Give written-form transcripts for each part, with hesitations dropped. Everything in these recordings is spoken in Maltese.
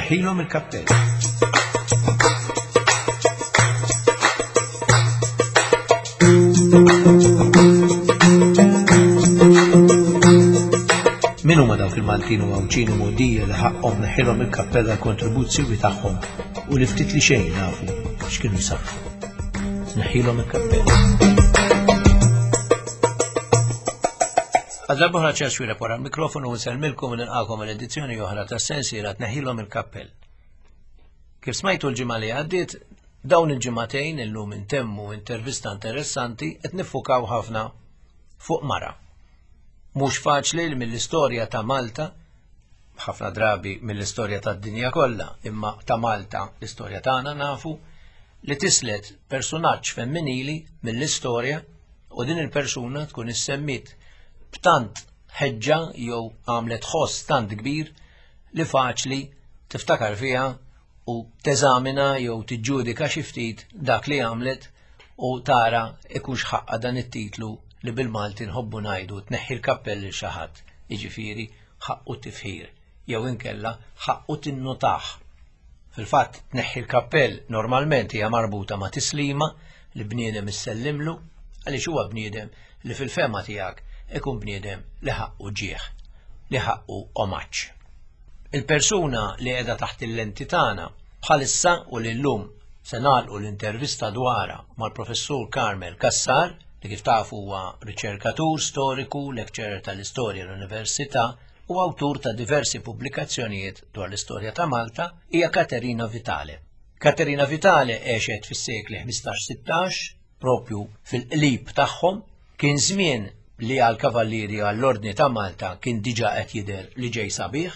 Tneħħilhom il-kappell. Min huma dawk il-Maltin u Għawdxin u Mogħdija li ħaqqhom neħħilhom il-kappell għall-kontribuzzjoni tagħhom u li ftit li xejn nafu x'kienu jsarrfu. Neħħilhom il-kappell. Għal darba oħra ċerċ wira wara l-mikrofonu u nsellmilkom u nilqakom għal edizzjoni oħra ta' sensiela tneħħilhom il-kappell. Kif smajtu l-ġimgħa li għaddiet, dawn il-ġimagħtejn illum intemmu intervista interessanti qed niffukaw ħafna fuq mara. Mhux faċli li mill-istorja ta' Malta, ħafna drabi mill-istorja tad-dinja kollha, imma ta' Malta l-istorja tagħna nafu li tislet persunaġġ femminili mill-istorja u din il-persuna tkun issemmit b'tant ħeġġa jew għamlet ħoss tant kbir li faċli tiftakar fiha u teżamina jew tiġġudika xi ftit dak li għamlet u tara ikunx ħaqqa dan it-titlu li bil-Malti nħobbu ngħidu tneħħi l-kappell lil xi ħadd, jiġifieri ħaqqu tifħir jew inkella ħaqqu tinnutah. Fil-fatt tneħħi l-kappell normalment hija marbuta ma' tislima li bniedem issellimlu għaliex huwa bniedem li fil-fehma tiegħek ikun bniedem li ħaqqu ġieħ, li ħaqqu omaġġ. Il-persuna li qiegħda taħt il-lenti tagħna bħalissa u li llum se nagħlqu l-intervista dwarha mal-Professur Carmel Cassar, li kif tafu huwa riċerkatur storiku, lecturer tal-istorja l-Università u awtur ta' diversi pubblikazzjonijiet dwar l-istorja ta' Malta, hija Katerina Vitale. Katerina Vitale għexet fis-sekli 15-16, propju fil-qlib tagħhom, kien żmien li għall-Kavallieri għall-Ordni ta' Malta kien diġà qed jidher li ġej sabiħ,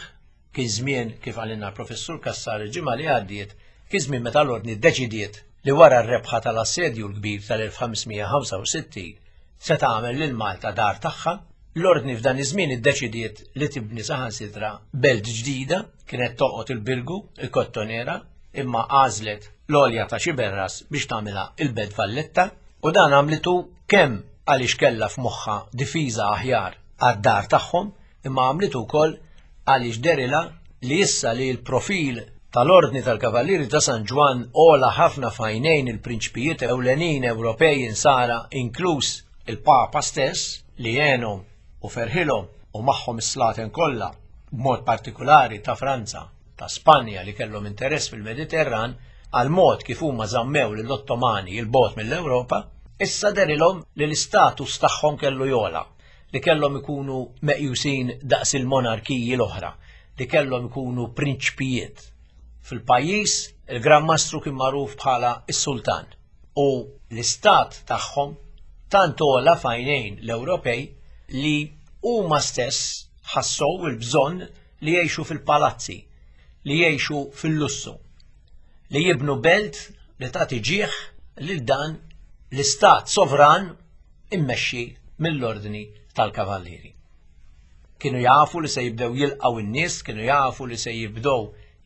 kien żmien kif qalilna l-Professur Cassar il-ġimgħa li għaddiet, kien żmien meta l-Ordni ddeċidiet li wara r-rebħa tal-Assedju l-Kbir tal-1565 se tagħmel lil Malta dar tagħha. L-Ordni f'dan iż-żmien iddeċidiet li tibni saħansitra belt ġdida, kienet toqgħod il-Birgu, il-Kottonera, imma għażlet l-għolja ta' Xiberras biex tagħmilha il-Belt Valletta u dan għamlitu kemm għaliex kellha f'moħħha difiża aħjar għad-dar tagħhom imma għamlitu wkoll għaliex derilha li issa li l-profil tal-Ordni tal-Kavallieri ta' San Ġwann għola ħafna f'għajnejn il-prinċpijiet ewlenin Ewropej insara inkluż il-Papa stess li għenhom u ferħilhom u magħhom is-slaten kollha b'mod partikulari ta' Franza, ta' Spanja li kellhom interess fil-Mediterran għall-mod kif huma żammew lill-Ottomani 'l bogħod mill-Ewropa, issa dehrilhom li l-istatus tagħhom kellu jogħla, li kellhom ikunu meqjusin daqs il-monarkiji l-oħra, li kellhom ikunu prinċpijiet. Fil-pajjiż, il-Gran Mastru kien magħruf bħala s-Sultan u l-istat tagħhom tant għola f'għajnejn l-Ewropej li huma stess ħassow il-bżonn li jgħixu fil-palazzi, li jgħixu fil-lussu, li jibnu belt li tagħti ġieħ lil dan l-istat sovran immexxi mill-ordni tal-kavallieri. Kienu jafu li se jibdew jilqgħu n-nies, kienu jafu li se jibdew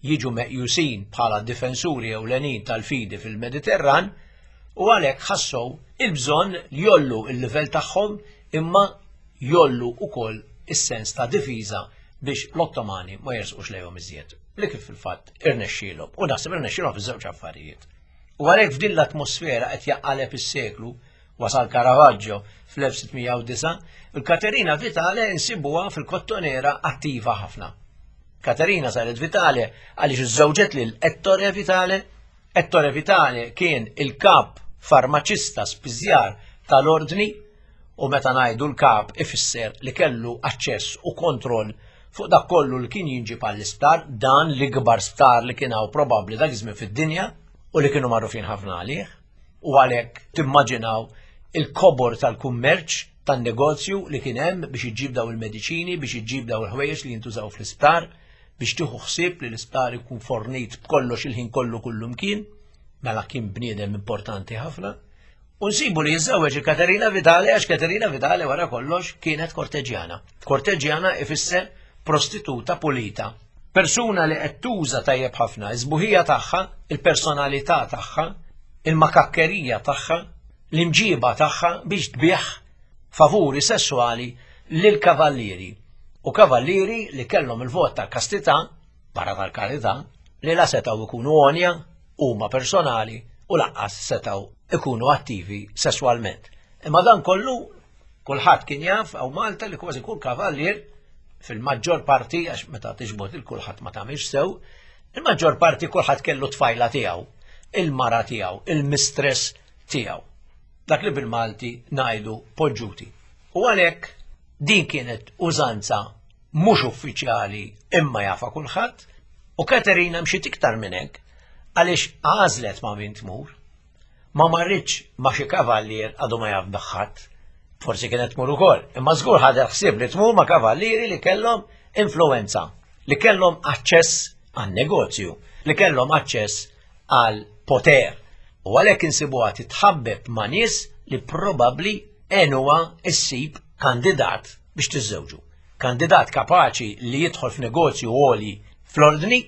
jiġu meqjusin bħala difensuri ewlenin tal-fidi fil-Mediterran u għalhekk ħassow il-bżonn li jollu il-livell tagħhom imma jollu ukoll is-sens ta' difiża biex l-Ottomani ma jersqux lejhom iżjed. Li kif fil-fatt irnexxielhom u naħseb irnexxielhom fiż-żewġ affarijiet. U għalhekk f'din l-atmosfera qed jaqaleb is-seklu wasal Caravaggio fl-1609, il-Katerina Vitale insibuha fil-Kottonera attiva ħafna. Katerina saret Vitale għaliex iżżewġet lil Ettore Vitale. Ettore Vitale kien il-kap farmaċista spiżjar tal-ordni u meta ngħidu l-kap ifisser li kellu aċċess u kontroll fuq dak kollu li kien jinġib għall-isptar, dan l-ikbar sptar li kien hawn probabbli dak iż-żmien fid-dinja u li kienu magħrufin ħafna għalih. U għalhekk timmaġinaw il-kobor tal-kummerċ tan-negozju li kien hemm biex iġġib daw il-mediċini, biex iġġib daw il-ħwejjeġ li jintużaw fl-isptar, biex tieħu ħsieb li l-isptar ikun fornit b'kollox il-ħin kollu kullumkien, mela kien bniedem importanti ħafna. U nsibu li jiżżewweġ il-Katerina Vitale għax Katerina Vitale wara kollox kienet korteġjana. Korteġjana ifisser prostituta pulita. Persuna li qed tuża tajjeb ħafna iż-sbuħija tagħha, il-personalità tagħha, il-makakkerija tagħha, l-imġiba tagħha biex tbigħ favuri sessuali lil kavallieri. U kavallieri li kellhom il-vot tal-kastità, barra tal-karità, li la setgħu jkunu għonja huma personali u lanqas setgħu ikunu attivi sesswalment. Imma dan kollu kulħadd kien jaf hawn Malta li kważi kull kavallier fil-maġġor parti għax meta tiġbod il kulħadd ma tagħmilx sew, il-maġġor parti kulħadd kellu tfajla tiegħu, il-mara tiegħu, il-mistress tiegħu. Dak li bil-Malti ngħidu poġġuti. U għalhekk din kienet użanza mhux uffiċjali imma jafa kulħadd, u Katerina mxiet iktar minn hekk għaliex għażlet ma' min tmur. Ma marritx ma' xi kavallier għadu ma jaf ħadd. Forsi kienet tmur ukoll, imma żgur ħadet ħsieb li tmur ma' kavallieri li kellhom influenza, li kellhom aċċess għan negozju, li kellhom aċċess għal poter. U għalhekk insibuha titħabbeb ma' nies li probabbli għenuha issib kandidat biex tiżżewġu. Kandidat kapaċi li jidħol f'negozju għoli fl-ordni,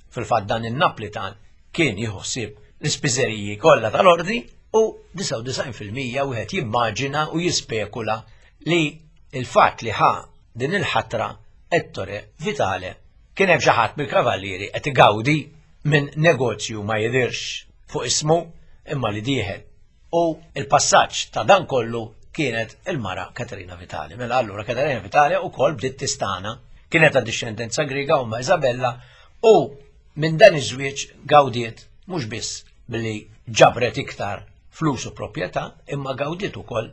fil-fatt dan in-Naplitan kien jieħu ħsieb l-ispiżeriji kollha tal-ordni u 99% wieħed jimmaġina u jispekula li il-fatt li ħa din il-ħatra Ettore Vitale kien hemm xi ħadd mill-kavallieri qed igawdi minn negozju ma jidhirx fuq ismu imma li dieħel. U il-passaġġ ta' dan kollu kienet il-mara Katerina Vitale. Mela allura Katerina Vitale ukoll bdiet tistana, kienet ta' dixxendenza Griega u ma' Isabella u minn dan iż-żwieġ gawdiet mhux biss billi ġabret iktar flus u proprjetà, imma gawdiet ukoll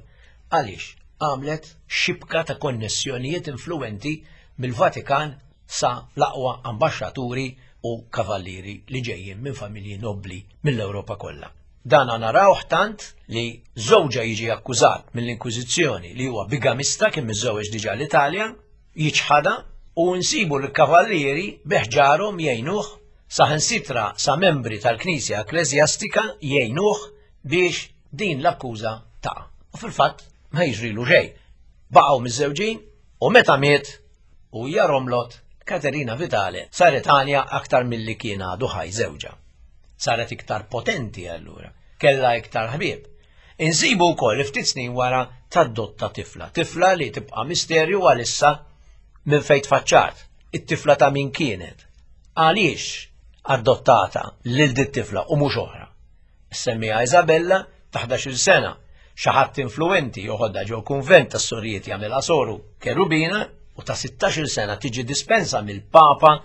għaliex għamlet xibka ta' konnessjonijiet influwenti mill-Vatikan sa l-aqwa ambaxxaturi u kavallieri li ġejjin minn familji nobbli mill-Ewropa kollha. Dana narawh tant li żewġha jiġi akkużat mill-Inkwiżizzjoni li huwa bigamista kien miżżewweġ diġà l-Italja, jiċħadha u nsibu l-kavallieri bi ħġarhom jgħinuh saħansitra sa membri tal-Knisja Ekkleżjastika jgħinuh biex din l-akkuża taqa'. U fil-fatt ma jiġrilu xejn. Baqgħu miżżewġin u meta miet u hija romlot, Katerina Vitale saret għanja aktar milli kien għadu ħaj żewġha. Saret iktar potenti allura, kellha iktar ħbieb. Insibu wkoll li ftit snin wara tadotta tifla, tifla li tibqa' misterju għalissa minn fejn tfaċċat, it-tifla ta' min kienet. Għaliex adottata lil dit tifla u mhux oħra? Semmija Isabella ta' 11-il sena, xi ħadd influwenti joħodha ġo kunvent tas-sorijiet jagħmilha soru Kerubina u ta' 16-il sena tiġi dispensa mill-Papa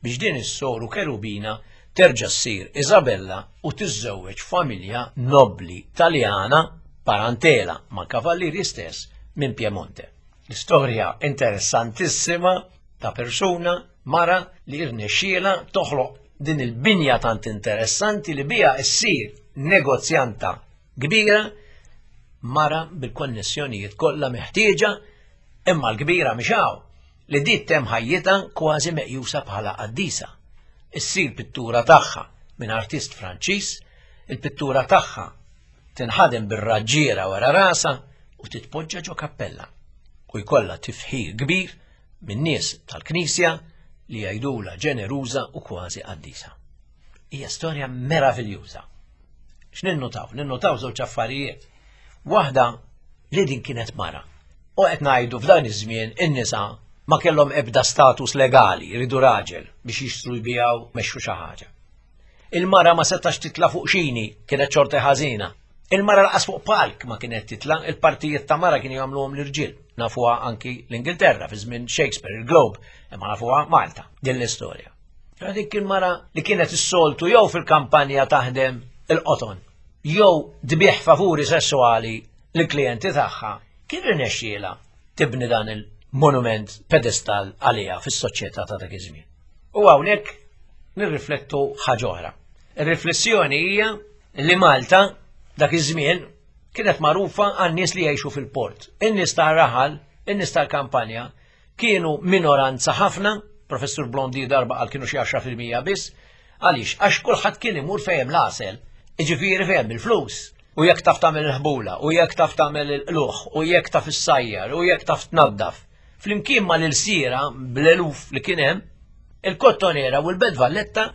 biex din is-soru Kerubina terġa' ssir Isabella u tiżżewweġ familja nobbli Taljana parantela ma' kavallieri stess minn Piemonte. L-istorja interessantissima ta' persuna mara li rnexxielha toħloq din il-binja tant interessanti li biha ssir negozjanta kbira mara bil-konnessjonijiet kollha meħtieġa imma l-kbira mhix hawn li dit tem ħajjitha kważi meqjusa bħala qaddisa. Issir pittura tagħha minn artist Franċiż, il-pittura tagħha tinħadem bir-raġġiera wara rasha u titpoġġa ġo kappella u jkollha tifħir kbir minn nies tal-Knisja li jgħidula ġeneruża u kważi qaddisa. Hija storja meraviljuża. X'ninnutaw? Ninnutaw żewġ affarijiet. Waħda li din kienet mara. U qed ngħidu f'dan iż-żmien in-nisa ma kellhom ebda status legali, jridu raġel biex jixtru jbijaw mexxu xi ħaġa. Il-mara ma setax titla fuq xini, kienet xorta ħażina. Il-mara laqas fuq palk ma kienet titla, il-partijiet ta' mara kienu jagħmluhom l-irġiel. Nafuha anki l-Ingilterra fi żmien Shakespeare, il-Globe, imma nafuha Malta, din l-istorja. Dik il-mara li kienet is-soltu jew fil-kampanja taħdem il-qoton, jew tbigħ favuri sessuali lill-klijenti tagħha, kien irnexxielha tibni dan il-monument pedestal għaliha fis-soċjetà ta' dak iż-żmien. U hawnhekk nirriflettu ħaġa oħra. Ir-riflessjoni hija li Malta dak iż-żmien kienet magħrufa għan-nies li jgħixu fil-port. In-nies tar-raħal, in-nies tal-kampanja kienu minoranza ħafna, Professur Blondi darba qal kienu xi 10% biss, għaliex għax kulħadd kien imur fejn l-għasel, jiġifieri fejn il-flus. U jekk taf tagħmel il-ħbula, u jekk taf tagħmel il-qluħ, u jekk taf issajjar, u jekk taf tnaddaf. Flimkien ma l-ilsiera bl-eluf li kien hemm, il-Kottonera u l-Belt Valletta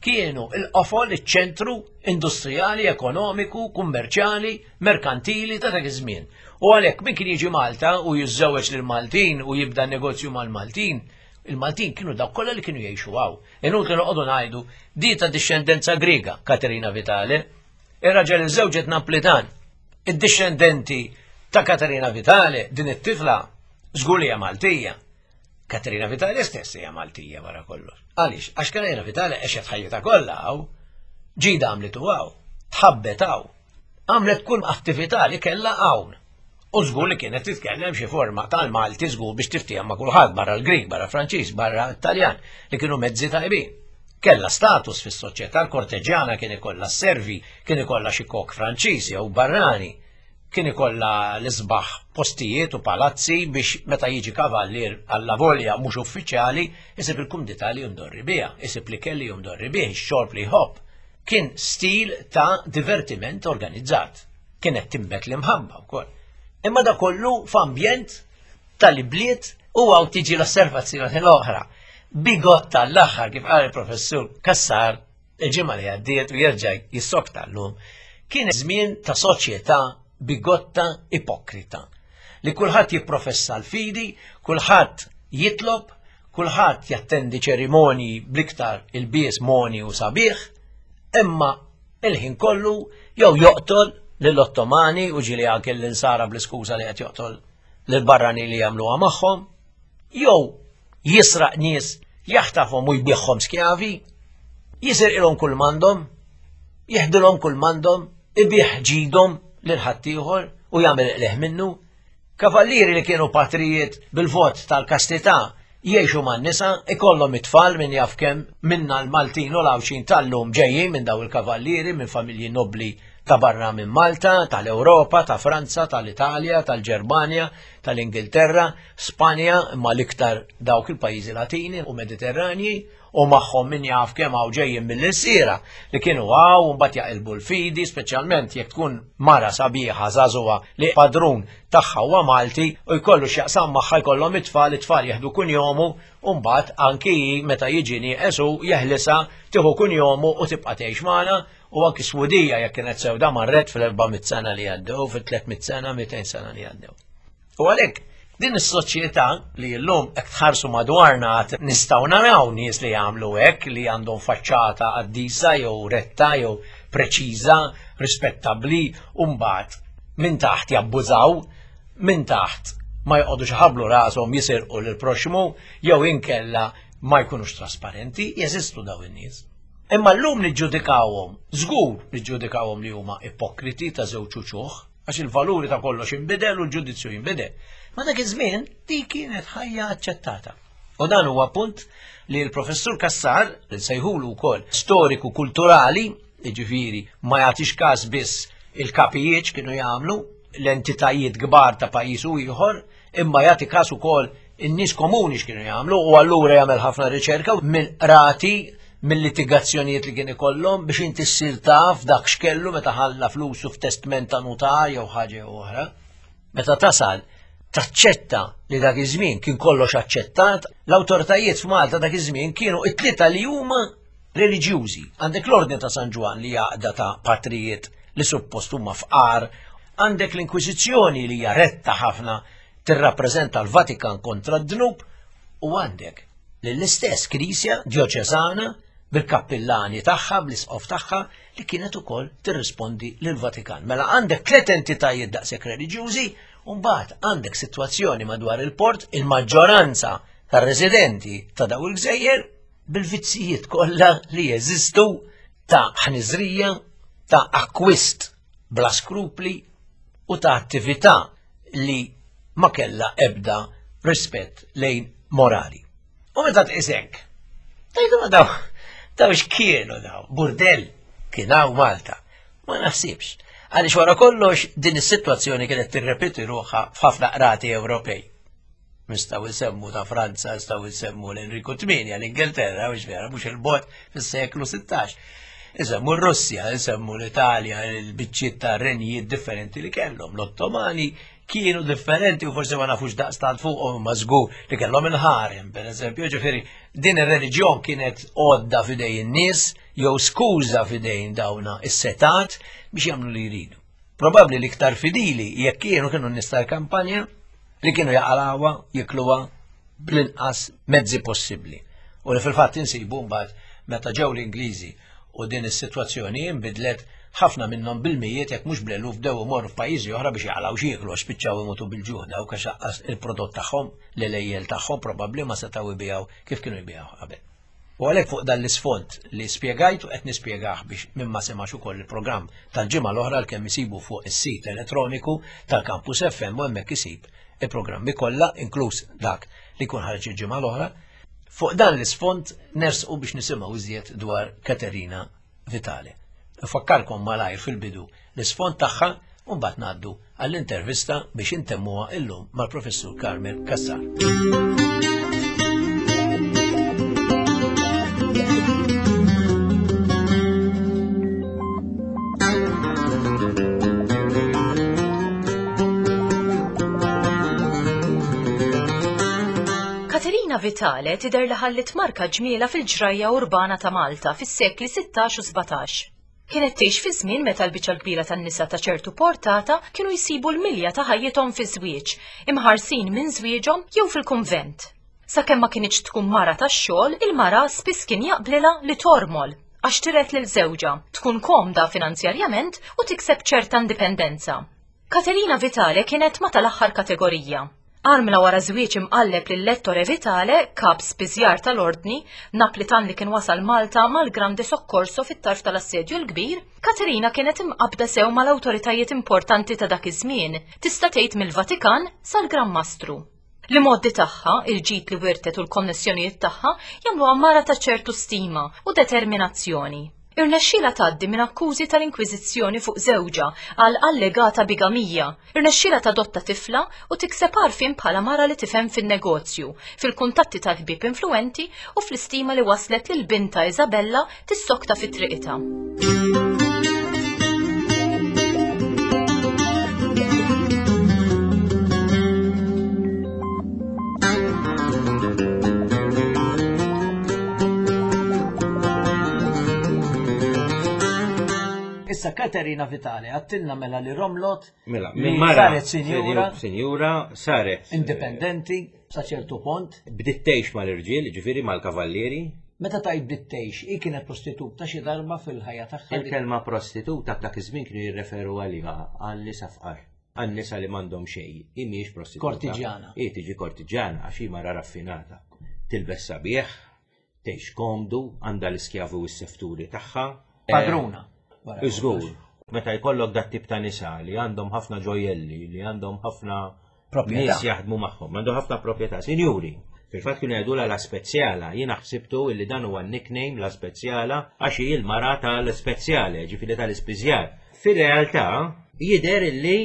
kienu il-qofol, iċ-ċentru industrijali, ekonomiku, kummerċjali, merkantili ta' dak iż-żmien. U għalhekk min kien jiġi Malta u jiżżewweġ lil Maltin u jibda negozju mal-Maltin, Il-Maltin kienu dawk kollha li kienu jgħixu hawn. Inutli noqogħdu ngħidu di ta' dixxendenza Griega, Katerina Vitale. Ir-raġel iżżewġet Naplitan. Id-dixxendenti ta' Katerina Vitale, din it-tifla, żgur li hija Maltija. Katerina Vitale stess hija Maltija wara kollox. Għaliex? Għax Katerina Vitale għexet ħajjitha kollha hawn. Ġida għamlitu hawn, tħabbet hawn. Għamlet kull attività li kellha hawn. U żgur li kienet titkellem xi forma tal-Malti żgur biex tiftiehem ma' kulħadd barra l-Grieg, barra Franċiż, barra Taljan, li kienu mezzi tajbin. Kellha status fis-soċjetà, l-korteġjana kien ikollha s-servi, kien ikollha xi kok Franċiż jew barrani, kien ikollha l-isbaħ postijiet u palazzi biex meta jiġi kavallier allavolja mhux uffiċjali isib il-kumdità li jumdorri biha, isib l-ikel li jumdorri bih, ix-xorb li jħobb. Kien stil ta' divertiment organizzat. Kienet tinbet l-imħabba wkoll. Imma da kollu f'ambjent tal-ibliet u hawn tiġi l-osservazzjoni l-oħra. Bigotta l-aħħar kif qal il-professur Cassar il-ġimgħa li għaddiet u jerġa' jissokta llum, kien żmien ta' soċjetà bigotta ipokrita. Li kulħadd jipprofessa l-fidi, kulħadd jitlob, kulħadd jattendi ċerimonji bl-iktar ilbies moni u sabiħ, imma il-ħin kollu jew joqtol lill-Ottomani u ġieli anke l-insara bl-iskuża li qed joqtol lill-barrani li jagħmluha magħhom, jew jisraq nies, jaħtafhom u jbigħhom skjavi, jisirqilhom kull m'għandhom, jeħdilhom kull m'għandhom, ibigħ ġidhom lil ħaddieħor u jagħmel qligħ minnu. Kavallieri li kienu patrijiet bil-vot tal-kastità jgħixu man-nisa, ikollhom it-tfal min jaf kemm minna l-Maltin u l-Għawdxin tal-lum ġejjin minn daw il-kavallieri minn familji nobbli ta' barra minn Malta, tal-Ewropa, ta' Franza, tal-Italja, tal-Ġermanja, tal-Ingilterra, Spanja, imma l-iktar dawk il-pajjiżi Latini u Mediterranji, u magħhom min jaf kemm hawn ġejjin mill-ilsiera li kienu hawn u mbagħad jaqilbu l-fidi, speċjalment jekk tkun mara sabiħa żagħżugħa li padrun tagħha huwa Malti u jkollu x'jaqsam magħha jkollhom it-tfal, it-tfal jieħdu kunjomu u mbagħad anki hi meta jiġi nieqes hu jeħlisha tieħu kunjomu u tibqa' tgħix magħna u anki swudija jekk kienet sewda marret fl-400 sena li għaddew, fil-300 sena, 200 sena li għaddew. U għalhekk din is-soċjetà li llum hekk tħarsu madwarna għad nistgħu naraw nies li jagħmlu hekk li għandhom faċċata qaddisa jew retta jew preċiża, rispettabbli, u mbagħad minn taħt jabbużaw, minn taħt ma jqogħdux iħabblu rashom jisirqu lill-proxxmu jew inkella ma jkunux trasparenti, jeżistu daw in-nies. Imma llum niġġudikawhom, żgur niġġudikawhom li huma ipokriti ta' żewġ uċuħ, għax il-valuri ta' kollox inbidel u l-ġudizzju jinbidel. Ma dak iż-żmien dik kienet ħajja aċċettata. U dan huwa punt li l-professur Cassar, li nsejħulu wkoll storiku kulturali, jiġifieri ma jagħtix każ biss il-kapijiet x'kienu jagħmlu, l-entitajiet kbar ta' pajjiż u ieħor, imma jagħti każ ukoll in-nies komuni x'kienu jagħmlu u allura jagħmel ħafna riċerka mill-qrati mill-litigazzjonijiet li kien ikollhom biex inti ssir taf dak x'kellu meta ħalla flusu f'testment ta' nutar jew ħaġa jew oħra. Meta tasal taċċetta li dak iż-żmien kien kollox aċċettat, l-awtoritajiet f'Malta dak iż-żmien kienu it-tlieta li huma reliġjużi. Għandek l-Ordni ta' San Ġwann li għaqda ta' patrijiet li suppost huma fqar, għandek l-Inkwiżizzjoni li hija retta ħafna tirrappreżenta l-Vatikan kontra d-dnub u għandek lill-istess Knisja djoċesana bil-kappillani tagħha, bl-isqof tagħha, li kienet ukoll tirrispondi lill-Vatikan. Mela għandek tliet entitajiet daqshekk reliġjużi, u mbagħad għandek sitwazzjoni madwar il-port, il-maġġoranza tar-residenti ta' daw il-gżejjer bil-vizzijiet kollha li jeżistu ta' ħniżrija, ta' akkwist bla skrupli u ta' attività li ma kellha ebda rispett lejn morali. U meta tqis hekk, tgħidu ma daw, daw x'kienu daw, burdell kien hawn Malta. Ma naħsibx. Għaliex wara kollox din is-sitwazzjoni kienet tirrepeti ruħha f'ħafna qrati Ewropej. Nistgħu nsemmu ta' Franza, nistgħu nsemmu l-Enriku 8, l-Ingilterra, mhux vera, mhux il-bot fis-seklu 16. Nsemmu r-Russja, nsemmu l-Italja, il-biċċiet ta' renjijiet differenti li kellhom. L-Ottomani kienu differenti u forsi ma nafux daqstant fuqhom imma żgur li kellhom il-ħarem, per eżempju, ġifieri din ir-reliġjon kienet għodda f'idej in-nies jew skuża f'idejn dawna is-setat biex jagħmlu li jridu. Probabbli l-iktar fidili jekk kienu kienu n-nies tal-kampanja li kienu jaqalawha, jikluha. bl-inqas mezzi possibbli. U li fil-fatt insibu mbagħad meta ġew l-Ingliżi u din is-sitwazzjoni inbidlet ħafna minnhom bil-mijiet jekk mhux bl-eluf bdew imorru f'pajjiżi oħra biex jaqalgħu x'jieklu għax spiċċaw imutu bil-ġuħ dawk għax aqqas il-prodott tagħhom l-għelejjel tagħhom probabbli ma setgħu jbigħu kif kienu jbigħu qabel. U għalhekk fuq dan l-isfond li spjegajt u qed nispjegah biex min ma semax ukoll il-programm tal-ġimgħa l-oħra għalkemm isibu fuq is-sit elettroniku tal-Campus FM u hemmhekk isib il-programmi kollha inkluż dak li jkun ħareġ il-ġimgħa l-oħra. Fuq dan l-isfond nersqu biex nisimgħu iżjed dwar Katerina Vitale. Nfakkarkom malajr fil-bidu l-isfond tagħha u mbagħad ngħaddu għall-intervista biex intemmuha illum mal-Professur Carmel Cassar. Katerina Vitale tidher li ħalliet marka ġmiela fil-ġrajja urbana ta' Malta fis-sekli 16 u 17. Kienet tgħix fi żmien meta l-biċċa l-kbira tan-nisa ta' ċertu portata kienu jsibu l-milja ta' ħajjithom fiż-żwieġ, imħarsin minn żwieġhom jew fil-kunvent. Sakemm ma kinitx tkun mara tax-xogħol, il-mara spiss kien jaqblilha li tormol għax tiret lil żewġha, tkun komda finanzjarjament u tikseb ċerta indipendenza. Katerina Vitale kienet ma' tal-aħħar kategorija. Armla wara żwieġ imqalleb lil Ettore Vitale, kap spiżjar tal-Ordni, Naplitan li kien wasal Malta mal-Grande Soccorso fit-tarf tal-Assedju l-Kbir, Katerina kienet imqabbda sew mal-awtoritajiet importanti ta' dak iż-żmien, tista' tgħid mill-Vatikan sal-Gran Mastru. L-imgħoddi tagħha, il-ġid li wirtet u l-konnessjonijiet tagħha jagħmluha mara ta' ċertu stima u determinazzjoni. Irnexxielha tgħaddi minn akkużi tal-Inkwiżizzjoni fuq żewġha għal allegata bigamija. Irnexxielha tadotta tifla u tikseb għarfien bħala mara li tifhem fin-negozju, fil-kuntatti tal-ħbieb influwenti u fl-istima li wasslet lil bintha Isabella tissokta fi triqitha. Issa Katerina Vitale għattilna mela li Romlot mela, minn mara saret sinjura sinjura saret eh, indipendenti sa ċertu pont. Bdiet tgħix mal-irġiel, ġifieri mal-kavallieri. Meta tajt bdiet tgħix, hi kienet prostituta xi darba fil-ħajja tagħha. Il-kelma prostituta dak iż-żmien kienu jirreferu għaliha għal nisa fqar. Għan-nisa li m'għandhom xejn, hi mhijiex prostituta. Kortiġjana. Hi tiġi kortiġjana għax hi mara raffinata. Tilbes sabiħ, tgħix komdu, għandha l-iskjavi u s-sefturi tagħha. Padruna. Żgur. Meta jkollok dat tip ta' nisa li għandhom ħafna ġojjelli, li għandhom ħafna nies jaħdmu magħhom, għandhom ħafna proprjetà, sinjuri. Fil-fatt kienu jgħidulha la spezzjala, jiena ħsibtu illi dan huwa nickname la spezzjala għax hi l-mara tal-spezzjale, ġifieri tal-ispiżjar. Fir-realtà jidher illi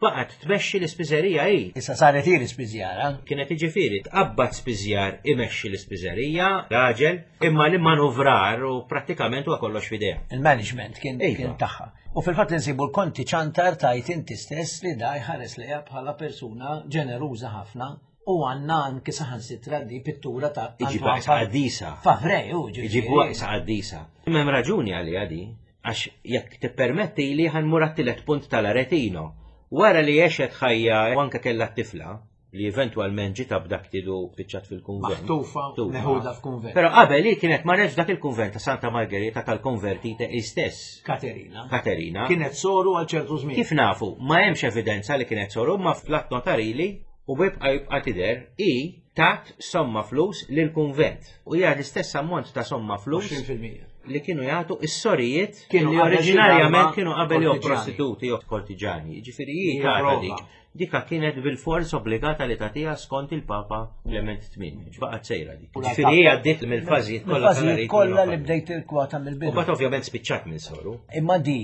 baqgħet tmexxi l-ispiżerija hi. Issa saret hi l-ispiżjara. Kienet jiġifieri tqabbad spiżjar imexxi l-ispiżerija, raġel, imma l-immanuvrar u prattikament huwa kollox f'idejha. Il-management kien iva. tagħha. U fil-fatt insibu l-konti ċantar tajt inti stess li da jħares lejha bħala persuna ġeneruża ħafna u għanna anki saħansitra di pittura ta' Iġibu qaddisa. Favre, u Iġibu qaddisa. M'hemm raġuni għaliha di. Għax jekk tippermettili ħa nmur għat-tielet punt tal-Aretino. Wara li għexet ħajja u anke kellha t-tifla, li eventwalment ġiet abducted u spiċċat fil-kunvent. Maħtufa, meħuda f'kunvent. Però qabel hi kienet marret f'dak il-kunvent ta' Santa Margherita tal-Konvertite hi stess. Katerina. Katerina. Kienet soru għal ċertu żmien. Kif nafu, ma hemmx evidenza li kienet soru, ma fl-att notarili u bibqa' jibqa' tidher hi tat somma flus lill-kunvent. U hija l-istess ammont ta' somma flus. 20%. Li kienu jagħtu is-sorijiet Kienu li qabel xi oriġinarjament darba kienu qabel jew kortiġani. prostituti jew kortiġani. Jiġifieri hi Hija tagħta prova. dik. Dika kienet bil-fors obbligata li tagħtiha skont il-Papa Clement VIII. X'baqgħet sejra dik. U la Ġifieri hi għaddiet mill-fażijiet kollha Mill-fażijiet tal-Aretino kollha li Papa. bdejt il-kwota mill-bidu. U mbagħad ovvjament spiċċat minn soru. Imma di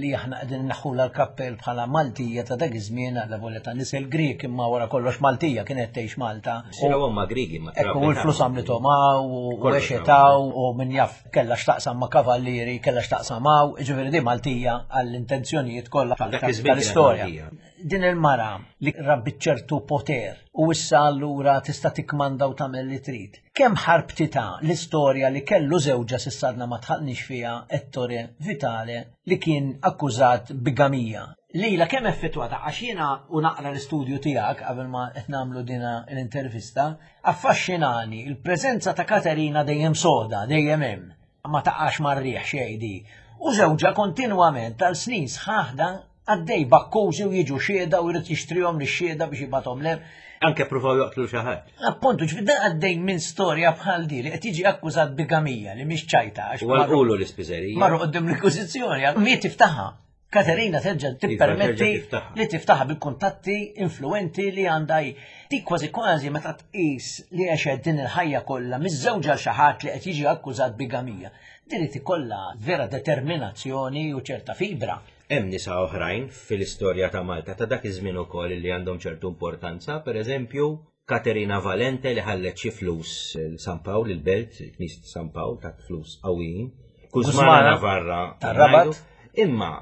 li aħna qegħdin naħħula l-kappell bħala Maltija ta' dak iż-żmien għal volja ta' nisel Grieg imma wara kollox Maltija kienet tgħix Malta. Sira huma Griegi ma Ekku u l-flus għamlithom hawn u għexet hawn u min jaf kellha x'taqsam ma' kavallieri, kellha x'taqsam hawn, jiġifieri di Maltija għall-intenzjonijiet kollha tal-istorja. Din il-mara li rabbit ċertu poter u issa allura tista' tikkmanda u tagħmel li trid. Kemm ħarbtitha l-istorja li kellu żewġha s'issa għadna ma dħalniex fiha Ettore Vitale li kien akkużat bigamija. Lila kemm effettwata għax jiena u naqra l-istudju tiegħek qabel ma qed nagħmlu dina l-intervista, affaxxinani il-preżenza ta' Katerina dejjem soda, dejjem hemm. Ma taqax mar-riħ xejn di. U żewġha kontinwament tal snin sħaħ dan għaddej b'akkużi u jiġu xhieda u jrid jixtrihom lix-xhieda biex jibgħathom lem. Anke pruvaw joqtlu xi ħadd. Appuntu, ġifieri dan għaddej minn storja bħal di li qed jiġi akkużat bigamija li mhix ċajta. U għalqulu l-ispiżerija. Marru qudiem l-Inkwiżizzjoni, miet tiftaħha. Katerina terġa' Iva, tippermetti li tiftaħha bil-kuntatti influenti li għandha hi. Dik kważi kważi meta tqis li għexet din il-ħajja kollha miżżewġa xi ħadd li qed jiġi akkużat bigamija. Din irid ikollha vera determinazzjoni u ċerta fibra. Hemm nisa oħrajn fil-istorja ta' Malta ta' dak iż-żmien ukoll li għandhom ċertu importanza, pereżempju Katerina Valente li ħallet xi flus San Pawl, il-belt, il-Knisja ta' San Pawl, tat flus qawwijin. Kuzmana Navarra tar-Rabat. Imma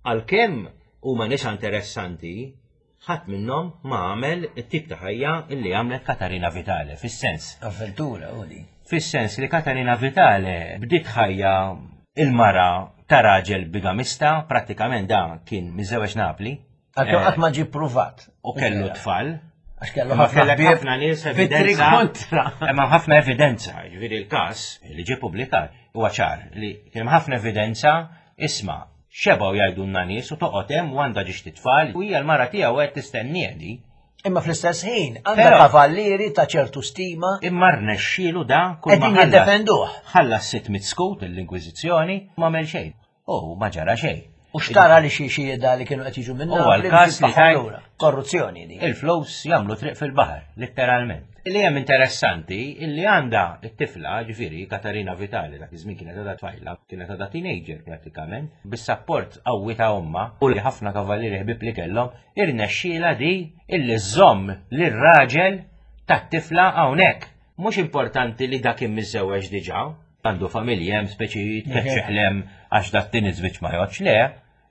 għalkemm huma nisa interessanti, ħadd minnhom ma għamel it-tip ta' ħajja illi għamlet Katarina Vitale, fis-sens. Avventura, u di. Fis-sens li Katarina Vitale bdiet ħajja il-mara ta' raġel bigamista, prattikament da kien miżewweġ Napli. Għalkemm eh, qatt ma ġie pruvat. U kellu tfal. Għax kellu ħafna ħafna nies evidenza. kontra. Imma ħafna evidenza, ġifieri l-każ li ġie pubblikat huwa ċar li kien ħafna evidenza isma' xebgħu jgħidulna nies u toqgħod hemm u għandha ġiex titfal u hija l-mara tiegħu qed tistennieh di. Imma fl-istess ħin għandha kavallieri ta' ċertu stima. Imma rnexxielu da kull ma jiddefenduh. Ħallas 600 skut l-Inkwiżizzjoni ma għamel xejn. U ma ġara xejn. U xtara li xi xhieda li kienu qed jiġu minna. U għal-każ li lura. Korruzzjoni di. Il-flus jagħmlu triq fil-baħar, letteralment. Li hemm interessanti illi għandha t-tifla, ġifieri Katarina Vitali, dak iż-żmien kienet għadha tfajla, kienet għadha teenager prattikament, bis-sapport qawwi ta' ommha u li ħafna kavallieri ħbieb li kellhom, irnexxielha di illi żżomm lir-raġel tat-tifla hawnhekk. Mhux importanti li dak kien miżżewweġ diġà, għandu familja hemm speċi jitkeċċeħ lem għax dak tin iż-żwieġ ma jgħodx le,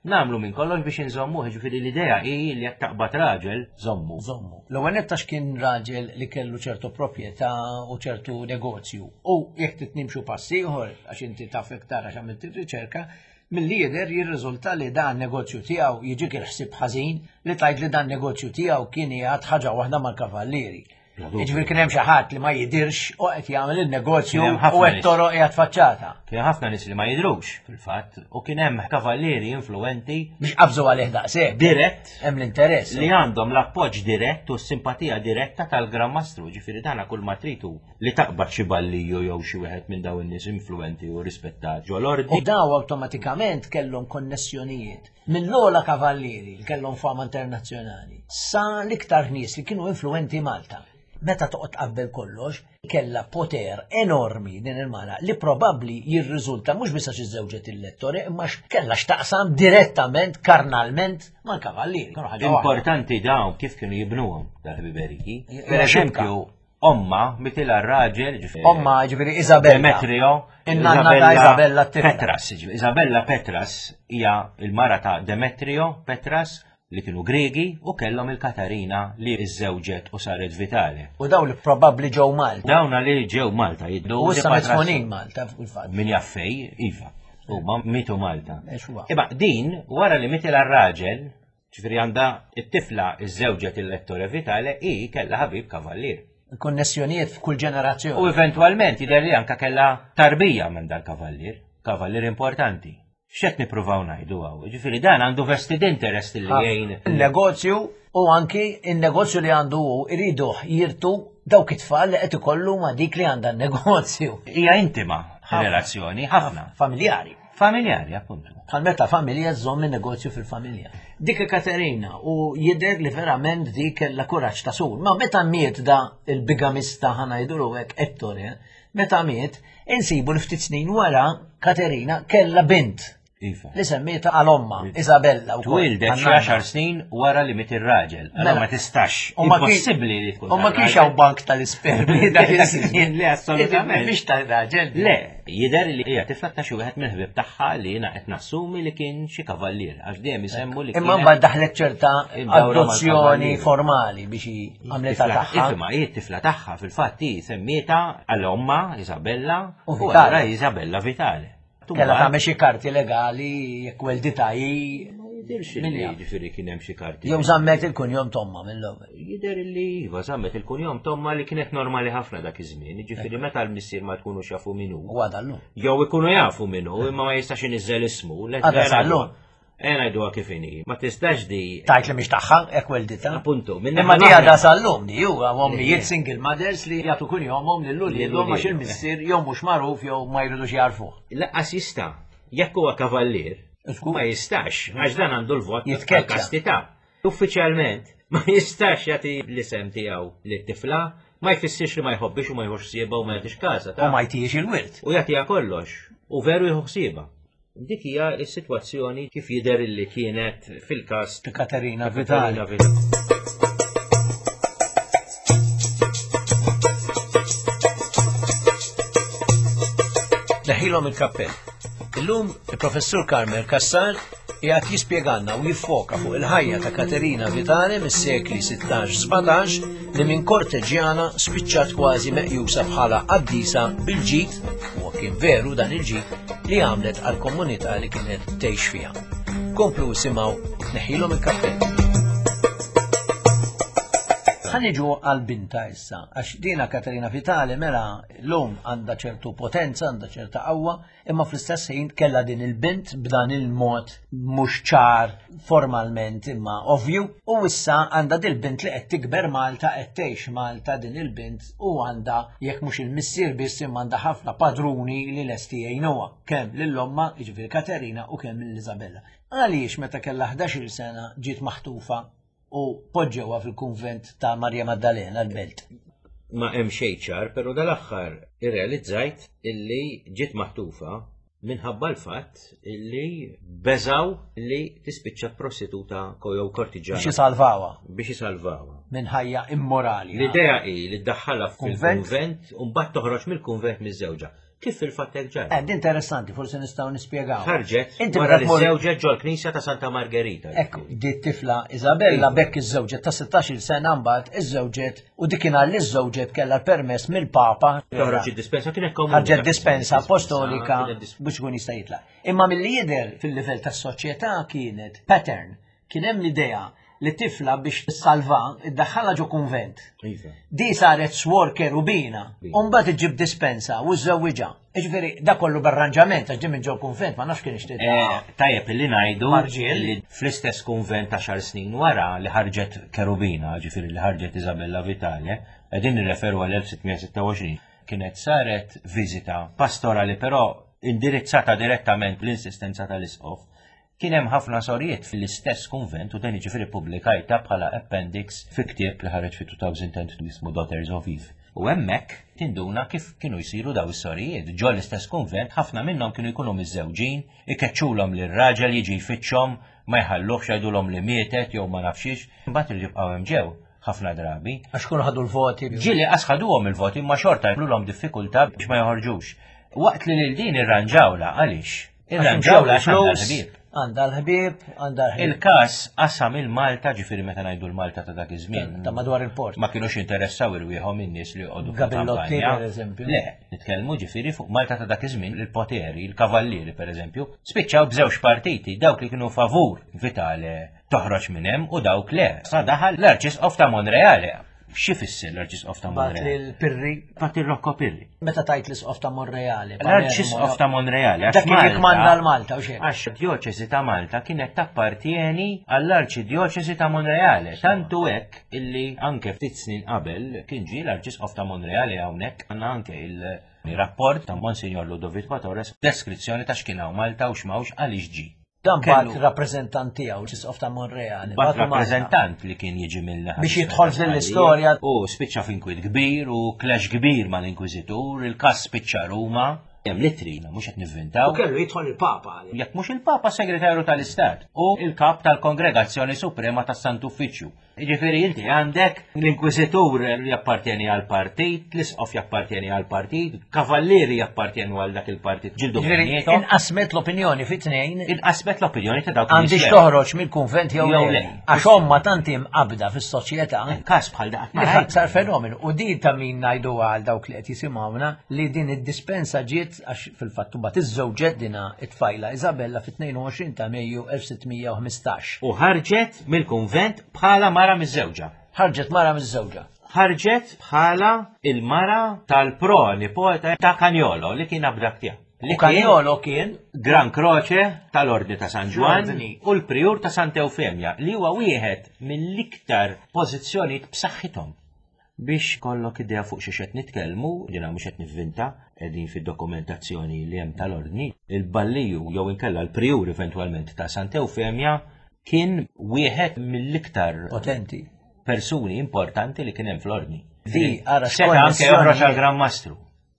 nagħmlu minn kollox biex inżommuh, jiġifieri l-idea hi li jekk taqbad raġel, żommu. Żommu. L-ewwel nett għax kien raġel li kellu ċertu proprjetà u ċertu negozju. U jekk trid nimxu pass ieħor, għax inti taf iktar għax għamilt ir-riċerka, milli jidher jirriżulta li dan negozju tiegħu jiġik il-ħsieb ħażin li tgħid li dan negozju tiegħu kien qiegħed ħaġa waħda mal-kavallieri. Jiġifieri kien hemm xi ħadd li ma jidirx u qed jagħmel il-negozju u qed toroq qiegħed faċċata. Kien ħafna nies li ma jidrux fil-fatt u kien hemm kavallieri influenti biex qabżu għalih daqshekk. Dirett. Hemm l-interess. Li għandhom l-appoġġ dirett u s-simpatija diretta tal-Gran Mastru, ġifieri dana kull ma tritu li taqbad xi balliju jew xi wieħed minn dawn in-nies influenti u rispettat ġol-ordni. U daw awtomatikament kellhom konnessjonijiet mill-ogħla kavallieri li kellhom fama internazzjonali sa l-iktar nies li kienu influenti Malta. Meta toqgħod tqabbel kollox, kellha poter enormi din il-mara li probabbli jirriżulta mhux biss għax iżżewġet il-lettore imma kellha x'taqsam direttament, karnalment mal-kavallieri. Importanti dawn kif kienu jibnuhom dal-ħbiberiji. Per eżempju, Omma mitilha r-raġel, ġifieri. Omma, ġifieri Isabella. Demetrio. In-nanna ta' Isabella Petras, ġifieri Isabella Petras hija l-mara ta' Demetrio Petras li kienu Griegi u kellhom il-Katarina li iżżewġet u saret Vitale. U dawn li probabbli ġew Malta. Dawn li ġew Malta jiddu. U issa mitfunin Malta fil-fatt. Min jaffej, iva. Huma mitu Malta. Imma din wara li mitilha r-raġel, Ġifieri għandha it-tifla iżżewġet il-Ettore Vitale hi kellha ħabib kavallier. Konnessjonijiet f'kull ġenerazzjoni. U eventwalment jidher li anka kellha tarbija minn dal-kavallier, kavallier importanti. X'qed nippruvaw ngħidu hawn? Ġifieri dan għandu vested interest li jgħin. Il-negozju u anki il-negozju li għandu hu iriduh jirtu dawk it-tfal li qed ikollu ma' dik li għandha n-negozju. Hija intima relazzjoni, ħafna. Familjari. Familjari, appuntu. Bħal meta familja żżomm in-negozju fil-familja. Dik Katerina u jidher li verament dik kellha kuraġġ ta' sur. Ma meta miet da il-bigamista ħanajdulu hekk Ettore, meta miet, insibu li ftit snin wara Katerina kellha bint. Iva. Li semmieta għal omma, iva. Isabella. Twildet xi għaxar snin wara li miet ir-raġel. Allora mela. ma tistax. Impossibbli li tkun. U ma kienx hawn bank tal-ispermi dak iż-żmien li assolutament. Mhix tal-raġel. Le, Jidher li hija tifla ta' xi wieħed mill-ħbieb tagħha li jiena qed nassumi li kien xi kavallier għax dejjem isemmu li Imma mbagħad daħlet ċerta adozzjoni formali biex għamlitha tagħha. Ifhimha, hi t-tifla tagħha fil-fatt hi semmietha għal ommha Isabella u allura Isabella Vitale. Kellha tagħmel xi karti legali jekk welditha hi. Jidirx li jiġifieri kien hemm xi karti. Jew żammet il-kunjom tomma mill-ewwel. Jidher li iva żammet il-kunjom tomma li kienet normali ħafna dak iż-żmien, jiġifieri meta l-missier ma tkunux jafu min hu. U għadha llum. Jew ikunu jafu min hu imma ma jistax iniżżel ismu. Għadha sal-lum. Ejja ngħiduha kif inhi. Ma tistax di. Tajt li mhix tagħha, hekk welditha. Appuntu, Imma di għadha sal-lum di huwa ommijiet single mothers li jagħtu kunjomhom lil uliedhom għax il-missier jew mhux magħruf jew ma jridux jagħrfuh. Laqqas jista'. Jekk huwa kavallier, ma jistax, għax dan għandu l-vot tal-kastità. Uffiċjalment, ma jistax jagħti l-isem tiegħu lit-tifla, ma jfissirx li ma jħobbix u ma jħux ħsiebha u ma jagħtix każha. U ma jtijiex il-wirt. U jagħtiha kollox. U veru jieħu ħsiebha. Dik hija s-sitwazzjoni kif jidher li kienet fil-każ ta' Katerina Vitali. Neħilhom il-kappell. Illum il-Professur Carmel Cassar qiegħed jispjegalna u jiffoka fuq il-ħajja ta' Katerina Vitale mis-sekli 16-17 li minn korteġjana spiċċat kważi meqjusa bħala qaddisa bil-ġid, u kien veru dan il-ġid, li għamlet għall-komunità li kienet tgħix fiha. Komplu isimgħu neħilhom il-kappell. Ħa niġu għal binta issa, għax dina Katerina Vitale mela l-lum għandha ċertu potenza, għandha ċerta qawwa, imma fl-istess ħin kellha din il-bint b'dan il-mod mhux ċar formalment imma ovvju u issa għandha dil-bint li qed tikber Malta qed tgħix Malta din il-bint u għandha jekk mhux il-missier biss imma għandha ħafna padruni li lesti jgħinuha kemm lil ommha jiġifieri Katerina u kemm lil Isabella. Għaliex meta kellha 11-il sena ġiet maħtufa u poġġewha fil-kunvent ta' Marja Maddalena l-Belt. Ma hemm xejn ċar, però dal-aħħar irrealizzajt illi ġiet maħtufa minħabba l-fatt illi beżaw li tispiċċa prostituta jew kortiġana. Biex isalvawha. Biex isalvawha. Minn ħajja immorali. L-idea hi li ddaħħalha fil-kunvent u mbagħad toħroġ mill-kunvent miż-żewġa. Kif fil-fatt hekk ġara? Eh, interessanti, forsi nistgħu nispjegaw. Ħarġet Inti wara li żewġet ġol-knisja ta' Santa Margherita. Ekku, di tifla Isabella iva. bekk iż-żewġet ta' 16-il sena mbagħad iż-żewġet u dik kien li żewġet kellha permess mill-Papa. Toħroġ id-dispensa kienet komuni. Ħarġet dispensa apostolika biex ikun jista' jitlaq. Imma milli jidher fil-livell tas-soċjetà kienet pattern Kien hemm l-idea li tifla biex tissalva iddaħħalha ġo kunvent. Iva. Di saret swor kerubina, u mbagħad iġġib dispensa u żżewwiġha. Jiġifieri da kollu b'arranġament għax din minn ġo kunvent ma nafx kien ixtieq. Eh, tajjeb li ngħidu li fl-istess kunvent għaxar snin wara li ħarġet kerubina, ġifieri li ħarġet Isabella Vitale, qegħdin nirreferu għal 1626, kienet saret viżita pastorali però indirizzata direttament bl-insistenza tal-isqof Kien hemm ħafna sorijiet fl-istess kunvent u dan jiġifieri ppubblikajtha bħala appendix fi ktieb li ħareġ fi 2010 jismu Daughters of Eve. U hemmhekk tinduna kif kienu jsiru daw is-sorijiet. Ġo l-istess kunvent ħafna minnhom kienu jkunu miżżewġin, ikeċċulhom lir-raġel jiġi jfittxhom, ma jħalluhx jgħidulhom li mietet jew ma nafx xiex, imbagħad iridu jibqgħu hemm ġew ħafna drabi. Għax kienu ħadu l-voti. Ġieli qas ħaduhom il-voti imma xorta jagħmlulhom diffikultà biex ma joħorġux. Waqt li lil din irranġawlha għaliex? Irranġawlha għax għandha l-ħbieb. Għandha l-ħbieb, għandha l-ħbieb. Il-każ qasam il-Malta, ġifieri meta ngħidu l-Malta ta' dak iż-żmien. Ta' madwar il-port. Ma kinux jinteressaw irwieħhom in-nies li joqogħdu Gabillotti, pereżempju. Le, nitkellmu ġifieri fuq Malta ta' dak iż-żmien il-poteri, il-kavallieri pereżempju, spiċċaw b'żewġ partiti, dawk li kienu favur Vitale toħroġ minn hemm u dawk le. Sa daħal l-Arċisqof ta' Monreale. X'ifisser l-Arċisqof ta' Monreale? Bat Pirri. Bat il-Rocco Pirri. Meta tajt l-Isqof ta' Monreale. L-Arċisqof ta' Monreale. Dak kien jikmanda l-Malta u xejn. Għax djoċesi ta' Malta kienet tappartieni għall-Arċidjoċesi ta' Monreale. Tantu hekk illi anke ftit snin qabel kien ġie l-Arċisqof ta' Monreale hawnhekk għandna anke il-rapport ta' Monsignor Ludovico Torres deskrizzjoni ta' x'kien hawn Malta u x'mawx għaliex ġie. Dan bat rappreżentant tiegħu, l-Isqof ta' Monreale. Bat rappreżentant li kien jiġi mill Biex jidħol fl-istorja. U spiċċa f'inkwiet kbir u clash kbir mal-Inkwiżitur, il-każ spiċċa Ruma. Hemm l-ittri, mhux qed nivvintaw. U kellu jidħol il-Papa. Jekk mhux il-Papa, Segretarju tal-Istat u il-Kap tal-Kongregazzjoni Suprema tas-Sant'Uffiċċju. Jiġifieri inti għandek l-inkwiżitur li jappartjeni għal partit, l-isqof jappartjeni għal partit, kavallieri jappartjenu għal dak il-partit. Ġildu bejniethom. Inqasmet l-opinjoni fi tnejn. Inqasmet l-opinjoni ta' dawk. Għandix toħroġ mill-kunvent jew le. Għax omma tant imqabda fis-soċjetà. Każ bħal dak ma sar fenomenu. U din ta' min ngħidu għal dawk li qed jisimgħuna li din id-dispensa ġiet għax fil-fatt mbagħad iżżewġet dina it-tfajla Isabella fit-22 ta' Mejju 1615. U ħarġet mill-kunvent bħala mara miżżewġa. Ħarġet mara miżżewġa. Ħarġet bħala il-mara tal-pro-nipota ta' Canjolo li kien abdak tiegħu. Li Canjolo kien Gran Croce tal-Ordni ta' San Ġwann u l-Prijur ta' Santa Eufemja li huwa wieħed mill-iktar pożizzjonijiet b'saħħithom. Biex ikollok idea fuq xiex qed nitkellmu, jiena mhux qed nivvinta, qegħdin fid-dokumentazzjoni li hemm tal-Ordni, il-balliju jew inkella l-prijur eventwalment ta' Santa Eufemja kien wieħed mill-iktar potenti persuni importanti li kien hemm fl-Ordni. Di ara seta' anke joħroġ għal Gran Mastru.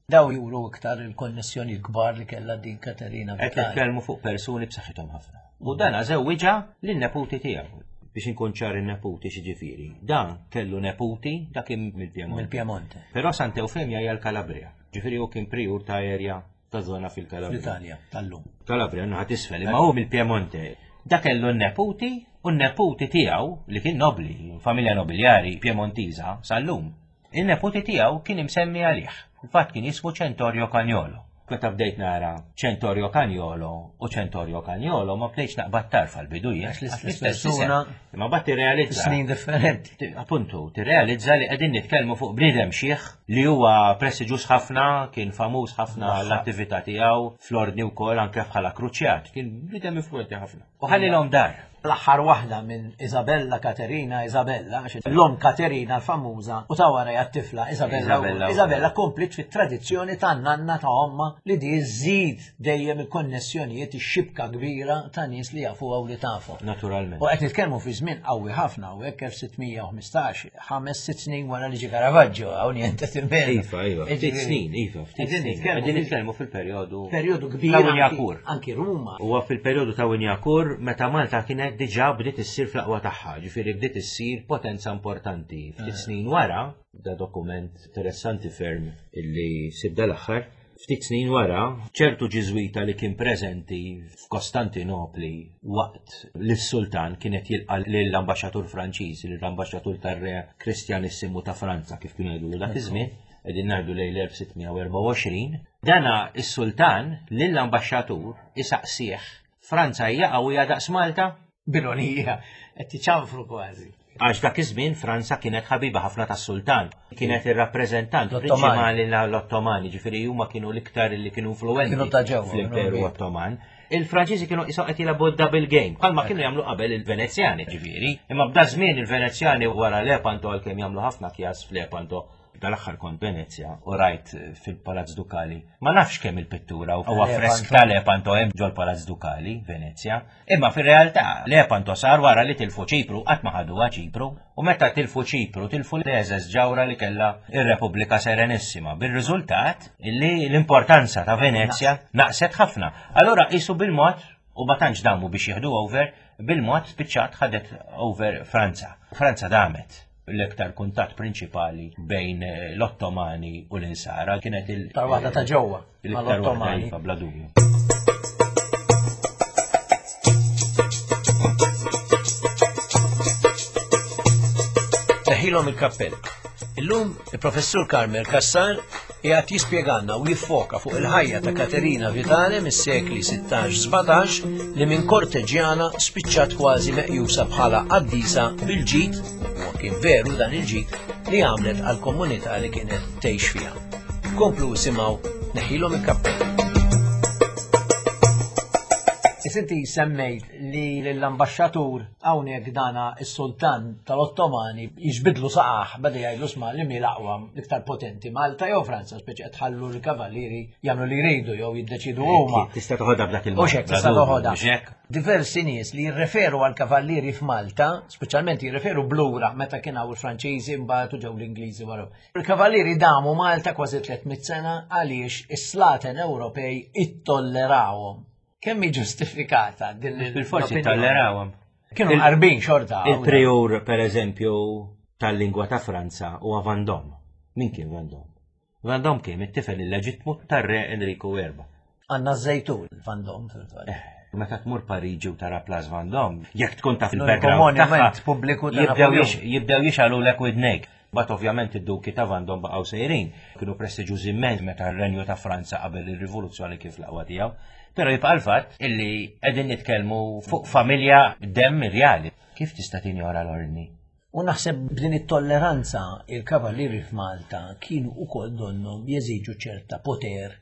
Daw juru iktar il-konnessjoni kbar li kellha din Katerina. Qed nitkellmu fuq persuni b'saħħithom ħafna. U dan żewwiġha lin-neputi tiegħu. Biex inkun ċar in-neputi x'ġifieri. Dan kellu neputi dak kien mill-Piemonte. Mill-Piemonte. Però Santa Eufemja hija l-Kalabria. Ġifieri hu kien prijur ta' erja ta' zona fil-Kalabria. Fl-Italja, tal-lum. Kalabria, naħa tisfel, imma hu mill-Piemonte. Da kellu n-neputi u n-neputi tiegħu li kien nobli, familja nobiljari Piemontiża sal-lum. In-neputi tiegħu kien imsemmi għalih. Fil-fatt kien jismu Centorio Cagnolo. Meta bdejt nara Centorio Cagnolo u Centorio Cagnolo ma bdejtx naqbad tarf għall-bidu jien. Għax l-istess persuna. Imma mbagħad tirrealizza. Snin differenti. Appuntu, tirrealizza li qegħdin nitkellmu fuq bniedem xiħ li huwa prestiġjuż ħafna, kien famuż ħafna l-attività tiegħu fl-ordni wkoll anke bħala kruċjat. Kien bniedem influenti ħafna. U ħallilhom dar. L-aħħar waħda minn Isabella Katerina Isabella, għax l-omm Katerina l-famuża u ta' warajha t-tifla Isabella. Isabella kompliet fit-tradizzjoni tan-nanna ta' ommha li di żżid dejjem il-konnessjonijiet, ix-xibka kbira ta' nies li jafuha u li tafhom. Naturalment. U qed nitkellmu fi żmien qawwi ħafna u hekk 1615, ħames sitt snin wara li ġie Caravaggio, hawn niente timmel. Iva, iva, ftit snin, iva, ftit snin. Qegħdin nitkellmu fil-perjodu. Perjodu kbir. Ta' Winjakur. Anki Ruma. Huwa fil-perjodu ta' Winjakur meta Malta kienet diġà bdiet issir fl-aqwa tagħha, ġifieri bdiet issir potenza importanti. Ftit eh. snin wara, da dokument interessanti ferm illi sib dal-aħħar, ftit snin wara, ċertu ġiżwita li kien preżenti f'Kostantinopli waqt li s-sultan kienet jilqa' lill-ambaxxatur Franċiż, lill-ambaxxatur tar-re Kristjanissimu ta' Franza kif kienu jgħidu dak iż-żmien, qegħdin ngħidu lejn l-1624, dana is-sultan lill-ambaxxatur isaqsih Franza hija qawwija daqs Malta? B'ironija, qed tiċanfru kważi. Għax dak iż-żmien Franza kienet ħabiba ħafna tas-sultan. Kienet ir-rappreżentant prinċipali l-Ottomani, ġifieri huma kienu l-iktar li kienu influwenti fl-Imperu Ottoman. Il-Franċiżi kienu qishom qed jilagħbu double game, bħalma kienu jagħmlu qabel il-Venezjani, ġifieri. Imma b'da żmien il-Venezjani wara Lepanto għalkemm jagħmlu ħafna kjas f'Lepanto, Dal-aħħar kont Venezja u rajt fil-Palazz Dukali. Ma nafx kemm il-pittura u affresk ta' Lepanto hemm ġol-Palazz Dukali, Venezja. Imma fir-realtà Lepanto sar wara li tilfu Ċipru, qatt ma ħaduha Ċipru. U meta tilfu Ċipru, tilfu l-eżeż ġawra li kellha ir-Repubblika Serenissima, bir-riżultat li l-importanza ta' Venezja naqset ħafna. Allura qisu bil-mod u ma tantx damu biex jieħdu over, bil-mod spiċċat ħadet over Franza. Franza damet. L-iktar kuntatt prinċipali bejn l-Ottomani u l-Insara kienet il- Iktar waħda ta' ġewwa mal-Ottomani. Iva, bla dubju. Teħilhom il-kappell. Illum il-Professur Carmel Cassar qiegħed jispjegalna u jiffoka fuq il-ħajja ta' Katerina Vitale mis-sekli 16-17 li minn korteġjana spiċċat kważi meqjusa bħala qaddisa bil-ġid, u kien veru dan il-ġid, li għamlet għall-komunità li kienet tgħix fiha. Komplu isimgħu neħilhom il-kappell. Inti semmejt li l-ambaxxatur Hawnhekk dana s-sultan tal-Ottomani jiġbidlu saqah beda jgħidlu sma' li mi l-aqwa l-iktar potenti Malta jew Franza speċi qed tħallu l-kavallieri jagħmlu li jridu jew jiddeċidu huma. Tista' toħodha b'dak il-mod. Hekk tista' toħodha. Diversi nies li jirreferu għal kavallieri f'Malta, speċjalment jirreferu blura meta kien hawn il-Franċiżi mbagħad u ġew l-Ingliżi wara. Il-kavallieri damu Malta kważi 300 sena għaliex is-slaten Ewropej ittollerawhom. Kemm hi ġustifikata din l Bil-forsi tollerawhom. Kienu qarbin xorta. Il-prior, per eżempju, tal-lingwa ta' Franza huwa Vendôme. Min kien Vendôme? Vendôme kien it-tifel illeġittmu tar-re Enriku Erba. Għandna ż-żejtun Vendôme fil-fatt. Eh, meta tmur Pariġi u tara Place Vendôme, jekk tkun taf il-background tagħha, pubbliku jibdew jixgħalulek widnejk. Bat ovvjament id-duki ta' Vendôme baqgħu sejrin, kienu prestiġjużi immens meta r-Renju ta' Franza qabel ir-rivoluzzjoni kif l-aqwa tiegħu. Però jibqa' l-fatt illi qegħdin nitkellmu fuq familja demm irjali. Kif tista' tinjora l-ordni? U naħseb b'din it-tolleranza il-kavallieri f'Malta kienu ukoll donnhom jeżiġu ċerta poter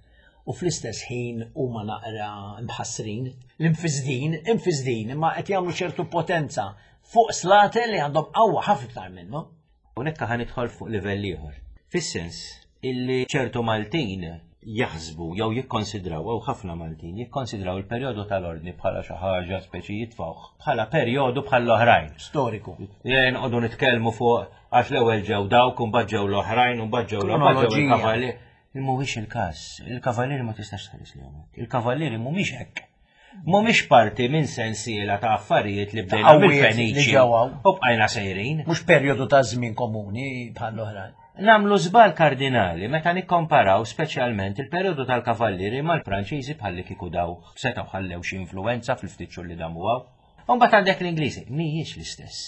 u fl-istess ħin huma naqra mħassrin, l-imfisdin, imfisdin, imma qed jagħmlu ċertu potenza fuq slaten li għandhom qawwa ħafna iktar minnhom. Hawnhekk ħa nidħol fuq livell ieħor. Fis-sens illi ċertu Maltin jaħsbu jew jikkonsidraw, jew ħafna Maltin jikkonsidraw il-perjodu tal-ordni bħala xi ħaġa speċi jitfgħuh bħala perjodu bħall-oħrajn. Storiku. Jien qogħdu nitkellmu fuq għax l-ewwel ġew dawk u mbagħad ġew l-oħrajn u mbagħad ġew l-oħrajn ġew il-kavallieri. Mhuwiex il-każ. Il-kavallieri ma tistax tħares lejhom hekk. Il-kavallieri mhumiex hekk. Mhumiex parti minn sensiela ta' affarijiet li bdejna mill-Feniċi u bqajna sejrin. Mhux perjodu ta' żmien komuni bħal oħrajn. Nagħmlu żball kardinali meta nikkomparaw speċjalment il-perjodu tal-Kavallieri mal-Franċiżi bħalli kieku daw setgħu ħallew xi influwenza fil-ftit xhur li damu hawn. U mbagħad għandek l-Ingliżi, mhijiex l-istess.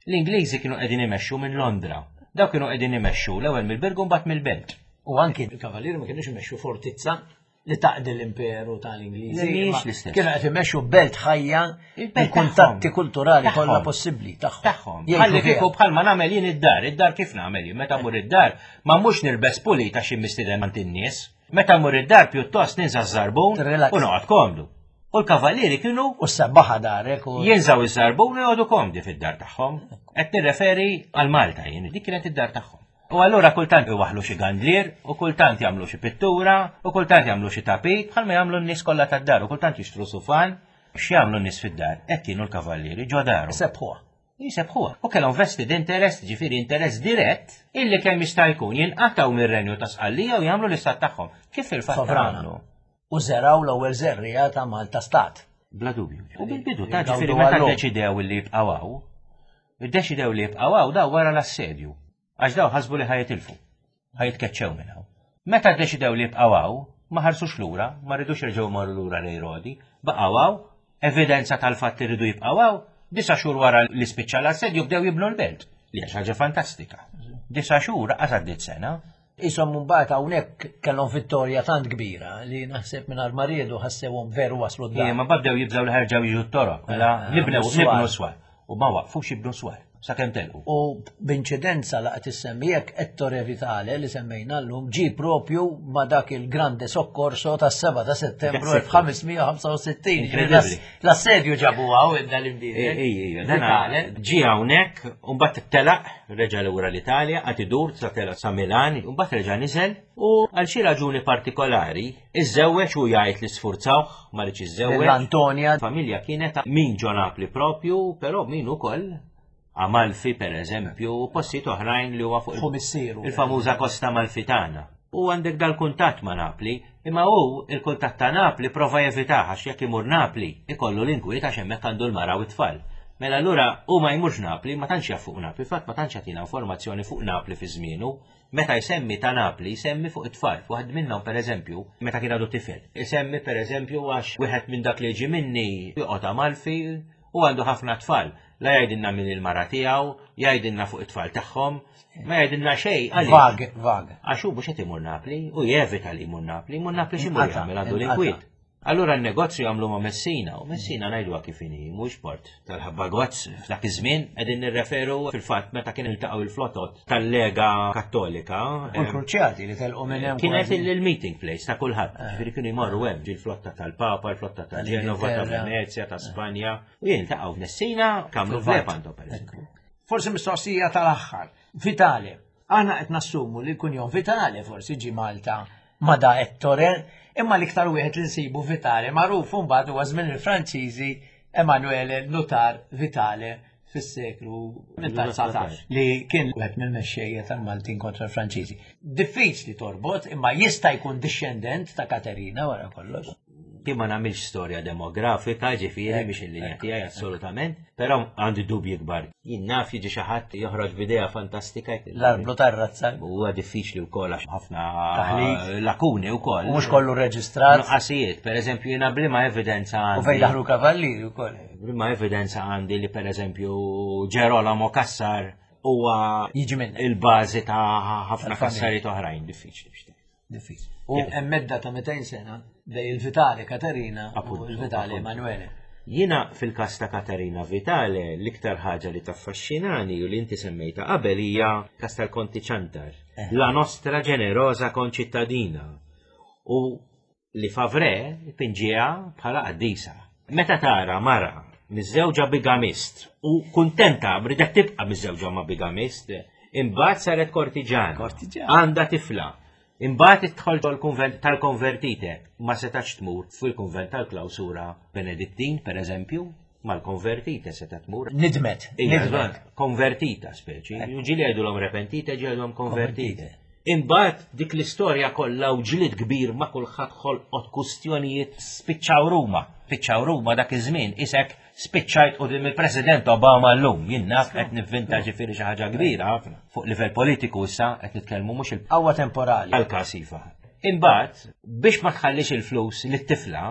L-Ingliżi kienu qegħdin imexxu minn Londra. Dawk kienu qegħdin imexxu l-ewwel mill-Birgu mbagħad mill-Belt. U anki l-Kavallieri ma kienux imexxu fortizza li taqdi l-imperu tal-Ingliżi. Mhijiex l-istess. Kienu qed imexxu belt ħajja il-kuntatti kulturali kollha possibbli tagħhom. Tagħhom. Ħalli kieku bħalma nagħmel jien id-dar, id-dar kif nagħmel jien meta mmur id-dar ma mhux nilbes pulit għax mistieden għand in-nies. Meta mmur id-dar pjuttost ninsa ż-żarbun u noqgħod komdu. U l-kavallieri kienu. U s-sebbaħa darek. U... Jinżaw iż-żarbun u joqogħdu komdi fid-dar tagħhom. Qed nirreferi għal Malta jien, dik kienet id-dar tagħhom. U allura kultant iwaħħlu xi gandlier, u kultant jagħmlu xi pittura, u kultant jagħmlu xi tapit, bħalma jagħmlu n-nies kollha tad-dar, u kultant jixtru sufan. X'jagħmlu n-nies fid-dar? Hekk kienu l-kavallieri ġo daru. Sebħuha. Jisebħuha. U kellhom vested interest, ġifieri interess dirett, illi kemm jista' jkun jinqatgħu mir-Renju ta' Sqallija u jagħmlu l-istat tagħhom. Kif fil-fatt għamlu. U żergħu l-ewwel żerriegħa ta' Malta Stat. Bla dubju. U bil-bidu ta' ġifieri meta ddeċidew li jibqgħu hawn, iddeċidew li jibqgħu hawn daw wara l-assedju. Għax daw ħasbu li ħa jitilfu, ħa jitkeċċew minn hawn. Meta ddeċidew li jibqgħu hawn, ma ħarsux lura, ma ridux jerġgħu jmorru lura lejn Rodi, baqgħu hawn, evidenza tal-fatt li rridu jibqgħu hawn, disa' xhur wara li spiċċa l-assedju bdew jibnu l-belt, li hija xi ħaġa fantastika. Disa' xhur qas għaddiet sena. Qishom mbagħad hawnhekk kellhom vittorja tant kbira li naħseb mingħajr ma riedu ħassewhom veru waslu d-dar. Ma bdew jibżgħu li ħerġgħu jiġu t-toroq, mela eh, nibnew nibnu swar. U ma waqfux jibnu swar sakemm telqu. U b'inċidenza laqgħet issemmi hekk Ettore Vitale li semmejna llum ġie propju ma' dak il-grande soccorso tas-7 ta' Settembru 1565. L-assedju ġabu għaw id l-imbiet. Vitale. Ġie hawnhekk u mbagħad telaq, reġa' lura l-Italja, qagħad idur sa telaq sa Milan, u mbagħad reġa' niżel u għal xi raġuni partikolari iżżewweġ u jgħid li sfurzawh ma riedx jiżżewweġ. L-Antonia. Familja kienet min ġo Napli propju, però min ukoll Amalfi per eżempju, u postijiet oħrajn li huwa fuq il-famuża Kosta Amalfitana. U għandek dal-kuntatt ma' Napli, imma hu il-kuntatt ta' Napli prova jevitah għax jekk imur Napli ikollu l-inkwiet għax hemmhekk għandu l-mara u t-tfal. Mela allura hu ma jmurx Napli, ma tantx jaf fuq Napli, fatt ma tantx jagħtina informazzjoni fuq Napli fi żmienu. Meta jsemmi ta' Napli jsemmi fuq it-tfal. Waħed minnhom pereżempju, meta kien għadu tifel, isemmi pereżempju għax wieħed minn dak li jiġi minni joqgħod Amalfi u għandu ħafna tfal. La jgħidilna min il-mara tiegħu, jgħidilna fuq it-tfal tagħhom, ma jgħidilna xejn. Vag, vag. Għax hu mhux qed imur Napli, u jevita li jmur Napli, jmur Napli x'imur jagħmel għandu l-inkwiet. Allura n-negozju għamlu ma' Messina, u Messina ngħiduha kif inhi, mhux port tal-ħabba gozz f'dak iż-żmien qegħdin nirreferu fil-fatt meta kien iltaqgħu il-flotot tal-Lega Kattolika. U l-Kruċjati li telqu minn hemm. Kienet il-meeting place ta' kulħadd. Eh. Ġifieri kienu jmorru hemm ġil-flotta tal-Papa, il-flotta ta' Ġenova, ta' Venezja, ta' Spanja. U jiltaqgħu f'Messina, kamlu f'Lepanto pereżempju. Forsi mistoqsija tal-aħħar. Vitale. Aħna qed nassumu li l-kunjom Vitale forsi ġi Malta ma da Ettore, imma l-iktar wieħed li nsibu Vitale magħruf mbagħad huwa żmien il-Franċiżi Emanuele Nutar Vitale fis-seklu 19 li kien wieħed mill-mexxejja tal-Maltin kontra l-Franċiżi. Diffiċli torbot, imma jista' jkun dixxendent ta' Katerina wara kollox. Jien ma nagħmilx storja demografika, ġifieri mhix il-linja tiegħi assolutament, però għandi dubji kbar. Jien naf jiġi xi ħadd joħroġ b'idea fantastika. L-arblu tar-razza. Huwa diffiċli wkoll għax ħafna lakuni wkoll. U mhux kollu reġistrat. Nuqqasijiet, pereżempju jiena bliema evidenza għandi. U fejn daħlu kavallieri wkoll. Bliema evidenza għandi li pereżempju Ġerolamo Cassar huwa jiġi minn il-bażi ta' ħafna kassarijiet oħrajn diffiċli biex Diffiċli. U hemm medda ta' 200 sena bej il-Vitale Katerina u il-Vitale Emanuele. Jiena fil-każ ta' Katerina Vitale l-iktar ħaġa li taffaxxinani u li inti semmejta qabel hija każ tal-Konti Ċantar. Eh. La nostra ġenerosa konċittadina. U li Favre pinġiha bħala qaddisa. Meta tara mara miżżewġa bigamist u kuntenta ridet tibqa' miżżewġa ma' bigamist, imbagħad saret kortiġana. Kortiġana. Għandha tifla. Imbagħad idħol ġol-kunvent tal-konvertite, ma setax tmur fil-kunvent tal-klawsura Benedittin, per eżempju, mal-konvertite seta' tmur. Nidmet, nidmet. Konvertita speċi. Ġieli jgħidulhom repentite, ġieli jgħidulhom konvertite. Imbagħad dik l-istorja kollha u ġlied kbir ma' kulħadd ħolqot kustjonijiet spiċċaw Ruma. Spiċċaw Ruma dak iż-żmien isek spiċċajt quddiem il-President Obama llum. Jien naf qed nivvinta ġifieri xi ħaġa kbira ħafna. Fuq livell politiku issa qed nitkellmu mhux il- Qawwa temporali. Għall-każ iva. Imbagħad biex ma tħallix il-flus lit-tifla,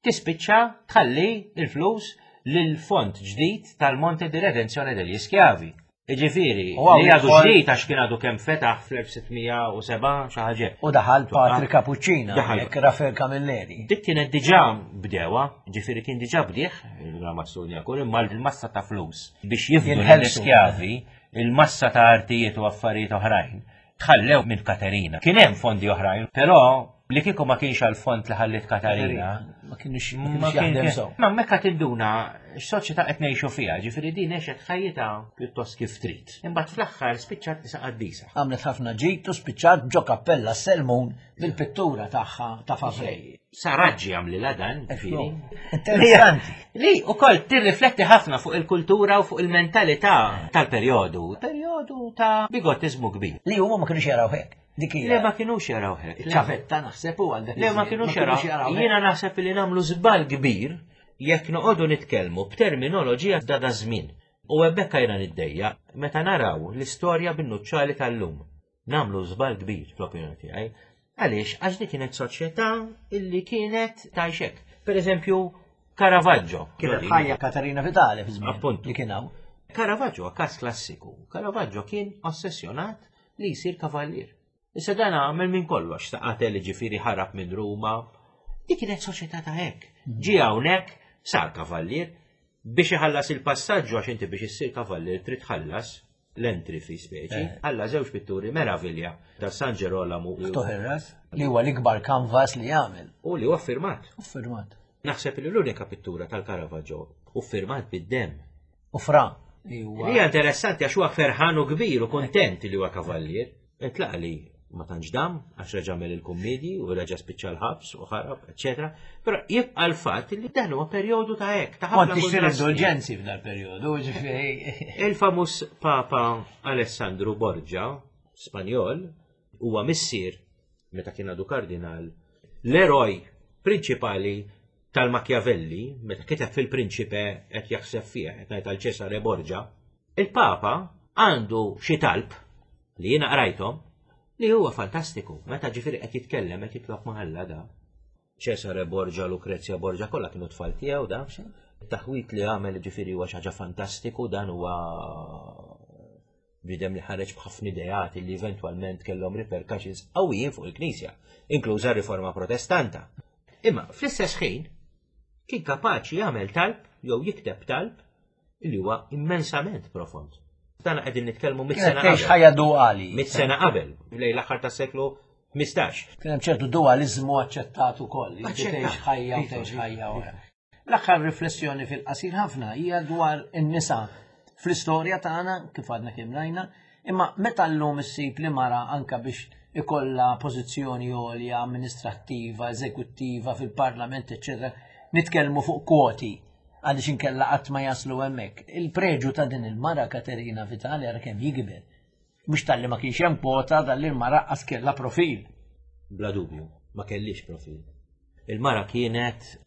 tispiċċa tħalli l-flus lil fond ġdid tal-Monte di Redenzione degli Schiavi. Jiġifieri, li għadu ġdid għax kien għadu kemm fetaħ fl-1607 xi ħaġa. U daħal Patri Capuccina, hekk Rafael Camilleri. Dik kienet diġà bdewa, ġifieri kien diġà bdieħ il-Ramazzoni kull imma l-massa ta' flus biex jifdu l-iskjavi, il-massa ta' artijiet u affarijiet oħrajn tħallew minn Katerina. Kien hemm fondi oħrajn, però li kieku ma kienx għal fond li ħallit Katarina. Ma kienx jaħdem sew. Ma mekka tinduna x'soċjetà qed ngħixu fiha, ġifieri din għexet ħajjitha pjuttost kif trid. Imbagħad fl-aħħar spiċċat isa qaddisa. Għamlet ħafna ġid u spiċċat ġo kappella Selmun bil-pittura tagħha ta' Favrej. Saraġġi għamlilha dan, ġifieri. Interessanti. Li ukoll tirrifletti ħafna fuq il-kultura u fuq il-mentalità tal-perjodu. Perjodu ta' bigottiżmu kbir. Li huma ma kinux jaraw hekk. Dik hija. Le ma kinux jaraw hekk. Ċavetta naħseb u għal Le ma kinux jaraw. Jiena naħseb li nagħmlu żball kbir jekk noqogħdu nitkellmu b'terminoloġija ta' da żmien. U hemmhekk jiena niddejjaq meta naraw l-istorja bin-nuċċali tal-lum. Nagħmlu żball kbir fl-opinjoni tiegħi. Għaliex? Għax dik kienet soċjetà illi kienet tgħix hekk. Per eżempju, Caravaggio. Kienet ħajja Katarina Vitale fi żmien li kien hawn. Caravaggio huwa każ klassiku. Caravaggio kien ossessjonat li jsir kavallier. Issa dan għamel minn kollox, ta' qatel ġifieri ħarab minn Ruma. Dik kienet soċjetà ta' hekk. Ġie hawnhekk, sar kavallier, biex iħallas il-passaġġu għax inti biex issir kavallier trid tħallas l-entry fee speċi, eh. għalla żewġ pitturi meravilja ta' San Ġerolamu. Ftuħ ir-ras li huwa l-ikbar kanvas li jagħmel. U li huwa firmat. U firmat. Naħseb li l-unika pittura tal-Caravaggio u firmat bid-dem. U fra. Li hija interessanti għax huwa ferħan u kbir u kontent li huwa kavallier. Intlaqa li ma tantx dam għax reġa' għamel il-kummedji u reġa' spiċċa l-ħabs u ħarab, eċetera. Però jibqa' l-fatt li dan huwa perjodu ta' hekk, ta' ħafna. Kont tixtri indulġenzi f'dal perjodu, ġifieri. Il-famuż Papa Alessandru Borgia, Spanjol, huwa missier meta kien għadu kardinal, l-eroj prinċipali tal-Machiavelli, meta kiteb fil-Prinċipe qed jaħseb fih, qed ngħid għal Cesare Borgia, Il-Papa għandu xi talb li jiena qrajthom li huwa fantastiku. Meta ġifieri qed jitkellem qed jitlob ma' Alla da. Cesare Borgia, Lucrezia Borgia kollha kienu tfal tiegħu da. Taħwit li għamel ġifieri huwa xi ħaġa fantastiku dan huwa bidem li ħareġ b'ħafna ideat li eventwalment kellhom repercussions qawwijin fuq il-Knisja, inkluża r-Riforma Protestanta. Imma fl-istess ħin kien kapaċi jagħmel talb jew jikteb talb li huwa immensament profond. Dan qegħdin nitkellmu mit sena qabel. ħajja duali. Mit sena qabel, lejn l-aħħar tas-seklu 15. Kien hemm ċertu dualiżmu aċċettat ukoll, li tgħix ħajja u tgħix ħajja oħra. L-aħħar riflessjoni fil-qasir ħafna hija dwar in-nisa fl-istorja tagħna kif għadna kemm rajna, imma meta llum issib li mara anka biex ikollha pożizzjoni għolja amministrattiva, eżekuttiva fil-parlament, eċċetera, nitkellmu fuq kwoti għaliex inkella qatt ma jaslu hemmhekk. Il-preġu ta' din il-mara Katerina Vitali ara kemm jikber. Mhux talli ma kienx hemm kwota talli l-mara qas kellha profil. Bla dubju, ma kellix profil. Il-mara kienet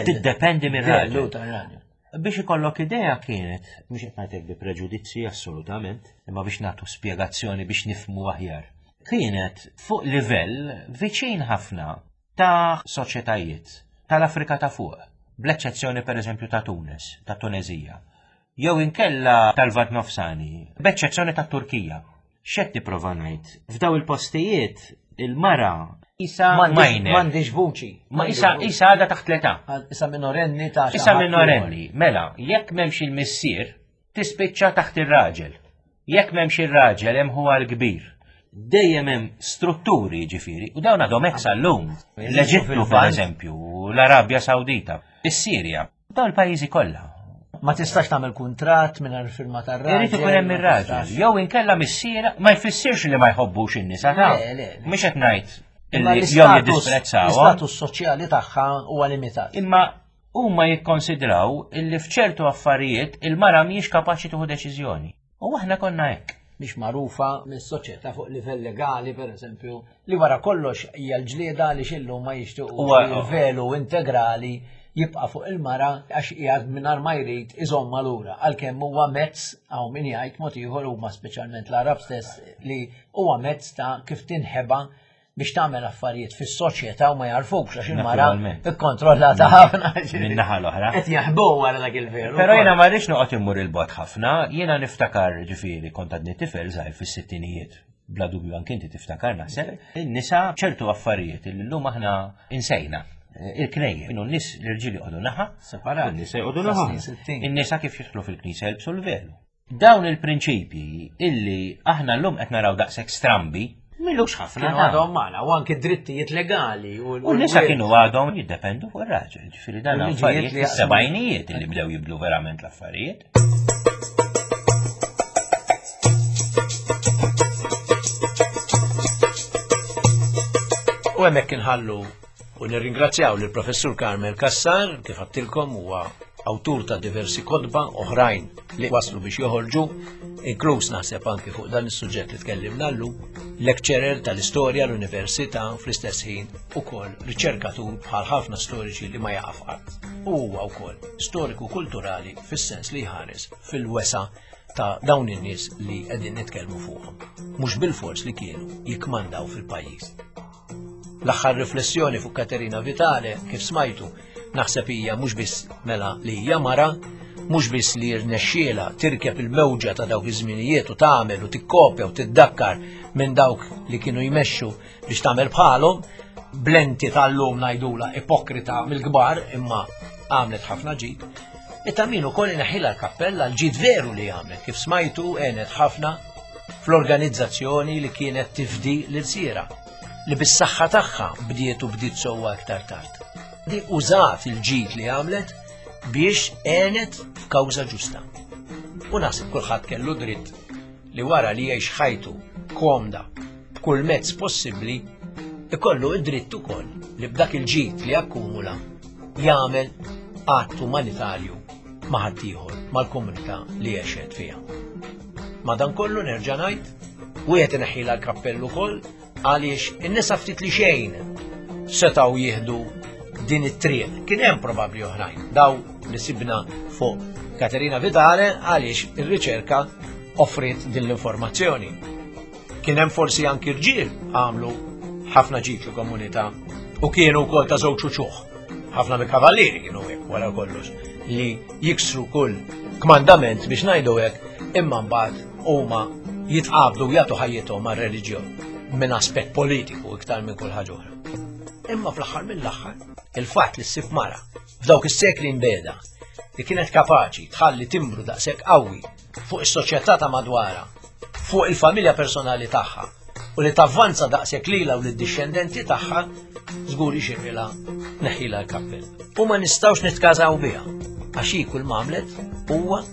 tiddependi mir-raġel. Biex ikollok idea kienet, mhux qed ngħidlek bi preġudizzji assolutament, imma biex nagħtu spjegazzjoni biex nifhmu aħjar. Kienet fuq livell viċin ħafna ta' soċjetajiet tal-Afrika ta' fuq, bl-eċċezzjoni pereżempju ta' Tunis, ta' Tunezija, jew inkella tal-Lvant Nofsani, b'eċċezzjoni tat-Turkija. X'qed nipprova ngħid? F'daw il-postijiet il-mara isa minor. M'għandix vuċi. Ma isa isa għadha taħt l-età. Isa minorenni ta' Isa minorenni. Mela, jekk m'hemmx il-missier, tispiċċa taħt ir-raġel. Jekk m'hemmx ir-raġel hemm huwa l-kbir. Dejjem hemm strutturi ġifieri, u dawn għadhom hekk sal-lum. L-Eġittu pereżempju, l-Arabja Sawdita, is-Sirja. Dawn il-pajjiżi kollha. Ma tistax tagħmel kuntratt mingħajr firma tar-raġel. Irid ikun hemm ir-raġel. Jew inkella missiera ma jfissirx li ma jħobbux in-nisa ta' Mhux qed ngħid illi jew jiddisprezzaw. L-istatus soċjali tagħha huwa limitat. Imma huma jikkonsidraw illi f'ċertu affarijiet il-mara mhijiex kapaċi tieħu deċiżjoni. U aħna konna hekk. Mhix magħrufa mis-soċjetà fuq livell legali, pereżempju, li wara kollox hija l-ġlieda li xillum ma jixtiequ il-velu integrali jibqa' fuq il-mara għax qiegħed mingħajr ma jrid iżomma lura għalkemm huwa mezz hawn min jgħid mod ieħor huma speċjalment l-Arab stess li huwa mezz ta' kif tinħeba biex tagħmel affarijiet fis-soċjetà u ma jarfukx għax il-mara ikkontrollata ħafna. Min-naħa l-oħra. Qed jaħbu wara dak il-veru. Però jiena ma rridx noqgħod immur il-bot ħafna, jiena niftakar ġifieri kont għadni tifel żgħir fis-sittinijiet. Bla dubju anke inti tiftakar naħseb. In-nisa ċertu affarijiet li llum aħna insejna. Il-knejje, kienu n-nies l-irġiel joqogħdu naħa, separat. In-nisa joqogħdu naħa. In-nisa kif jidħlu fil-knisja jilbsu l-velu. Dawn il-prinċipji illi aħna llum qed naraw daqshekk strambi, m'ilux ħafna. Kienu għadhom magħna u anke drittijiet legali. U n-nisa kienu għadhom jiddependu fuq ir-raġel. Ġifieri dan affarijiet li sebgħinijiet illi bdew jibdlu verament l-affarijiet. U hemmhekk inħallu U nirringrazzjaw lill-Professur Carmel Cassar, kif għattilkom huwa awtur ta' diversi kotba oħrajn li waslu biex joħorġu, inkluż naħseb anki fuq dan is-suġġett li tkellimna llum, lecturer tal-istorja l-università fl-istess ħin ukoll riċerkatur bħal ħafna storiċi li ma jaqaf qatt. U huwa wkoll storiku kulturali fis-sens li jħares fil-wesa ta' dawn in-nies li qegħdin nitkellmu fuqhom. Mhux bilfors li kienu jikkmandaw fil-pajjiż. L-aħħar riflessjoni fuq Katerina Vitale, kif smajtu, naħseb hija mhux biss mela li hija mara, mhux biss li rnexxiela tirkeb il-mewġa ta' dawk iż-żminijiet u tagħmel u tikkopja u tiddakkar minn dawk li kienu jmexxu biex tagħmel bħalhom, blenti tal-lum ngħidula ipokrita mill-kbar imma għamlet ħafna ġid. Ita min ukoll ineħħilha l-kappella l-ġid veru li għamlet kif smajtu għenet ħafna fl-organizzazzjoni li kienet tifdi l-irsiera li bis-saħħa tagħha bdiet u bdiet sewwa iktar tard. Di użat il-ġid li għamlet biex għenet f'kawża ġusta. U naħseb kulħadd kellu dritt li wara li jgħix ħajtu komda b'kull mezz possibbli ikollu id-dritt ukoll li b'dak il-ġid li akkumula jagħmel att umanitarju ma' ħaddieħor mal-komunità li għexet fiha. Madankollu nerġa' ngħid, wieħed ineħħilha l-kappell ukoll għaliex in-nisa ftit li xejn setgħu jieħdu din it-triq. Kien hemm probabbli oħrajn, daw li sibna fuq Katerina Vitale għaliex ir-riċerka offriet din l-informazzjoni. Kien hemm forsi anki rġiel għamlu ħafna ġid fil-komunità u kienu wkoll ta' żewġ uċuħ. Ħafna mill-kavallieri kienu hekk wara kollox li jiksru kull kmandament biex ngħidu hekk imma mbagħad huma jitqabdu jagħtu ħajjithom għar-reliġjon minn aspett politiku iktar minn kull ħaġa oħra. Imma fl-aħħar mill-aħħar, il-fatt li ssib mara f'dawk is-sekli mbeda li kienet kapaċi tħalli timbru daqshekk qawwi fuq is-soċjetà ta' madwarha, fuq il-familja personali tagħha u li tavvanza daqshekk lilha u lid-dixxendenti tagħha, żgur ixirrilha neħħilha l-kappell. U ma nistgħux nitkażaw biha għax hi kull m'għamlet huwa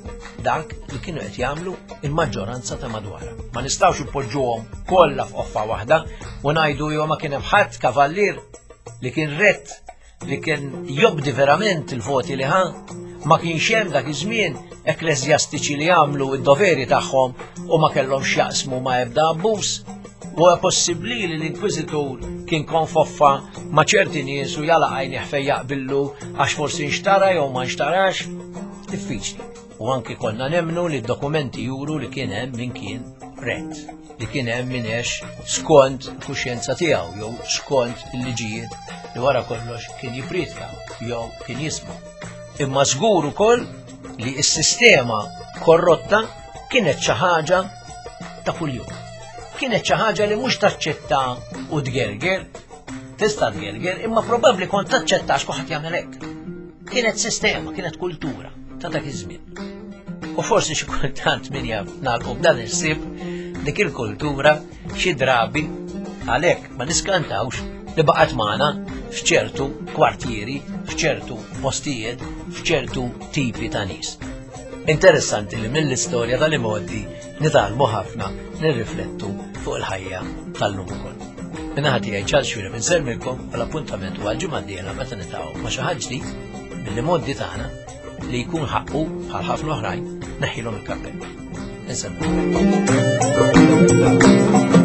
dak li kienu qed jagħmlu il-maġġoranza ta' madwarha. Ma nistgħux ipoġġuhom kollha f'qoffa waħda u ngħidu jew ma kien hemm ħadd kavallier li kien rett li kien jobdi verament il-voti li ħa, ma kienx hemm dak iż-żmien ekkleżjastiċi li għamlu id-doveri tagħhom u ma kellhom x'jaqsmu ma' ebda abbuż. Huwa possibbli li l-Inkwiżitur kien konfoffa ma' ċerti nies u jala għajnih fejn jaqbillu għax forsi nxtara jew ma nxtarax? Diffiċli. U anki konna nemmnu li d-dokumenti juru li kien hemm min kien rett, li kien hemm min għex skont il-kuxjenza tiegħu jew skont il-liġijiet li wara kollox kien jippriedka jew kien jisma'. Imma żgur ukoll li s-sistema korrotta kienet xi ħaġa ta' kuljum. Kienet xi ħaġa li mhux taċċetta u tgerger, tista' tgerger, imma probabbli kont taċċetta għax kulħadd jagħmel hekk. Kienet sistema, kienet kultura ta' dak iż-żmien. U forsi xi kultant min jaf nagħlqu b'dan il-ħsieb dik il-kultura xi drabi għalhekk ma niskantawx li baqgħet magħna f'ċertu kwartieri, f'ċertu postijiet, f'ċertu tipi ta' nies. Interessanti li mill-istorja tal-imgħoddi nitgħallmu ħafna nirriflettu fuq il-ħajja tal-lum ukoll. Minnaħa tiegħi Charles Xuereb insellmilkom u l-appuntament huwa l-ġimgħa d-dieħla meta nitgħu ma' xi ħadd ġdid mill-imgħoddi tagħna li jkun ħaqqu bħal ħafna oħrajn neħħilhom il-kappell. Insellmilkom.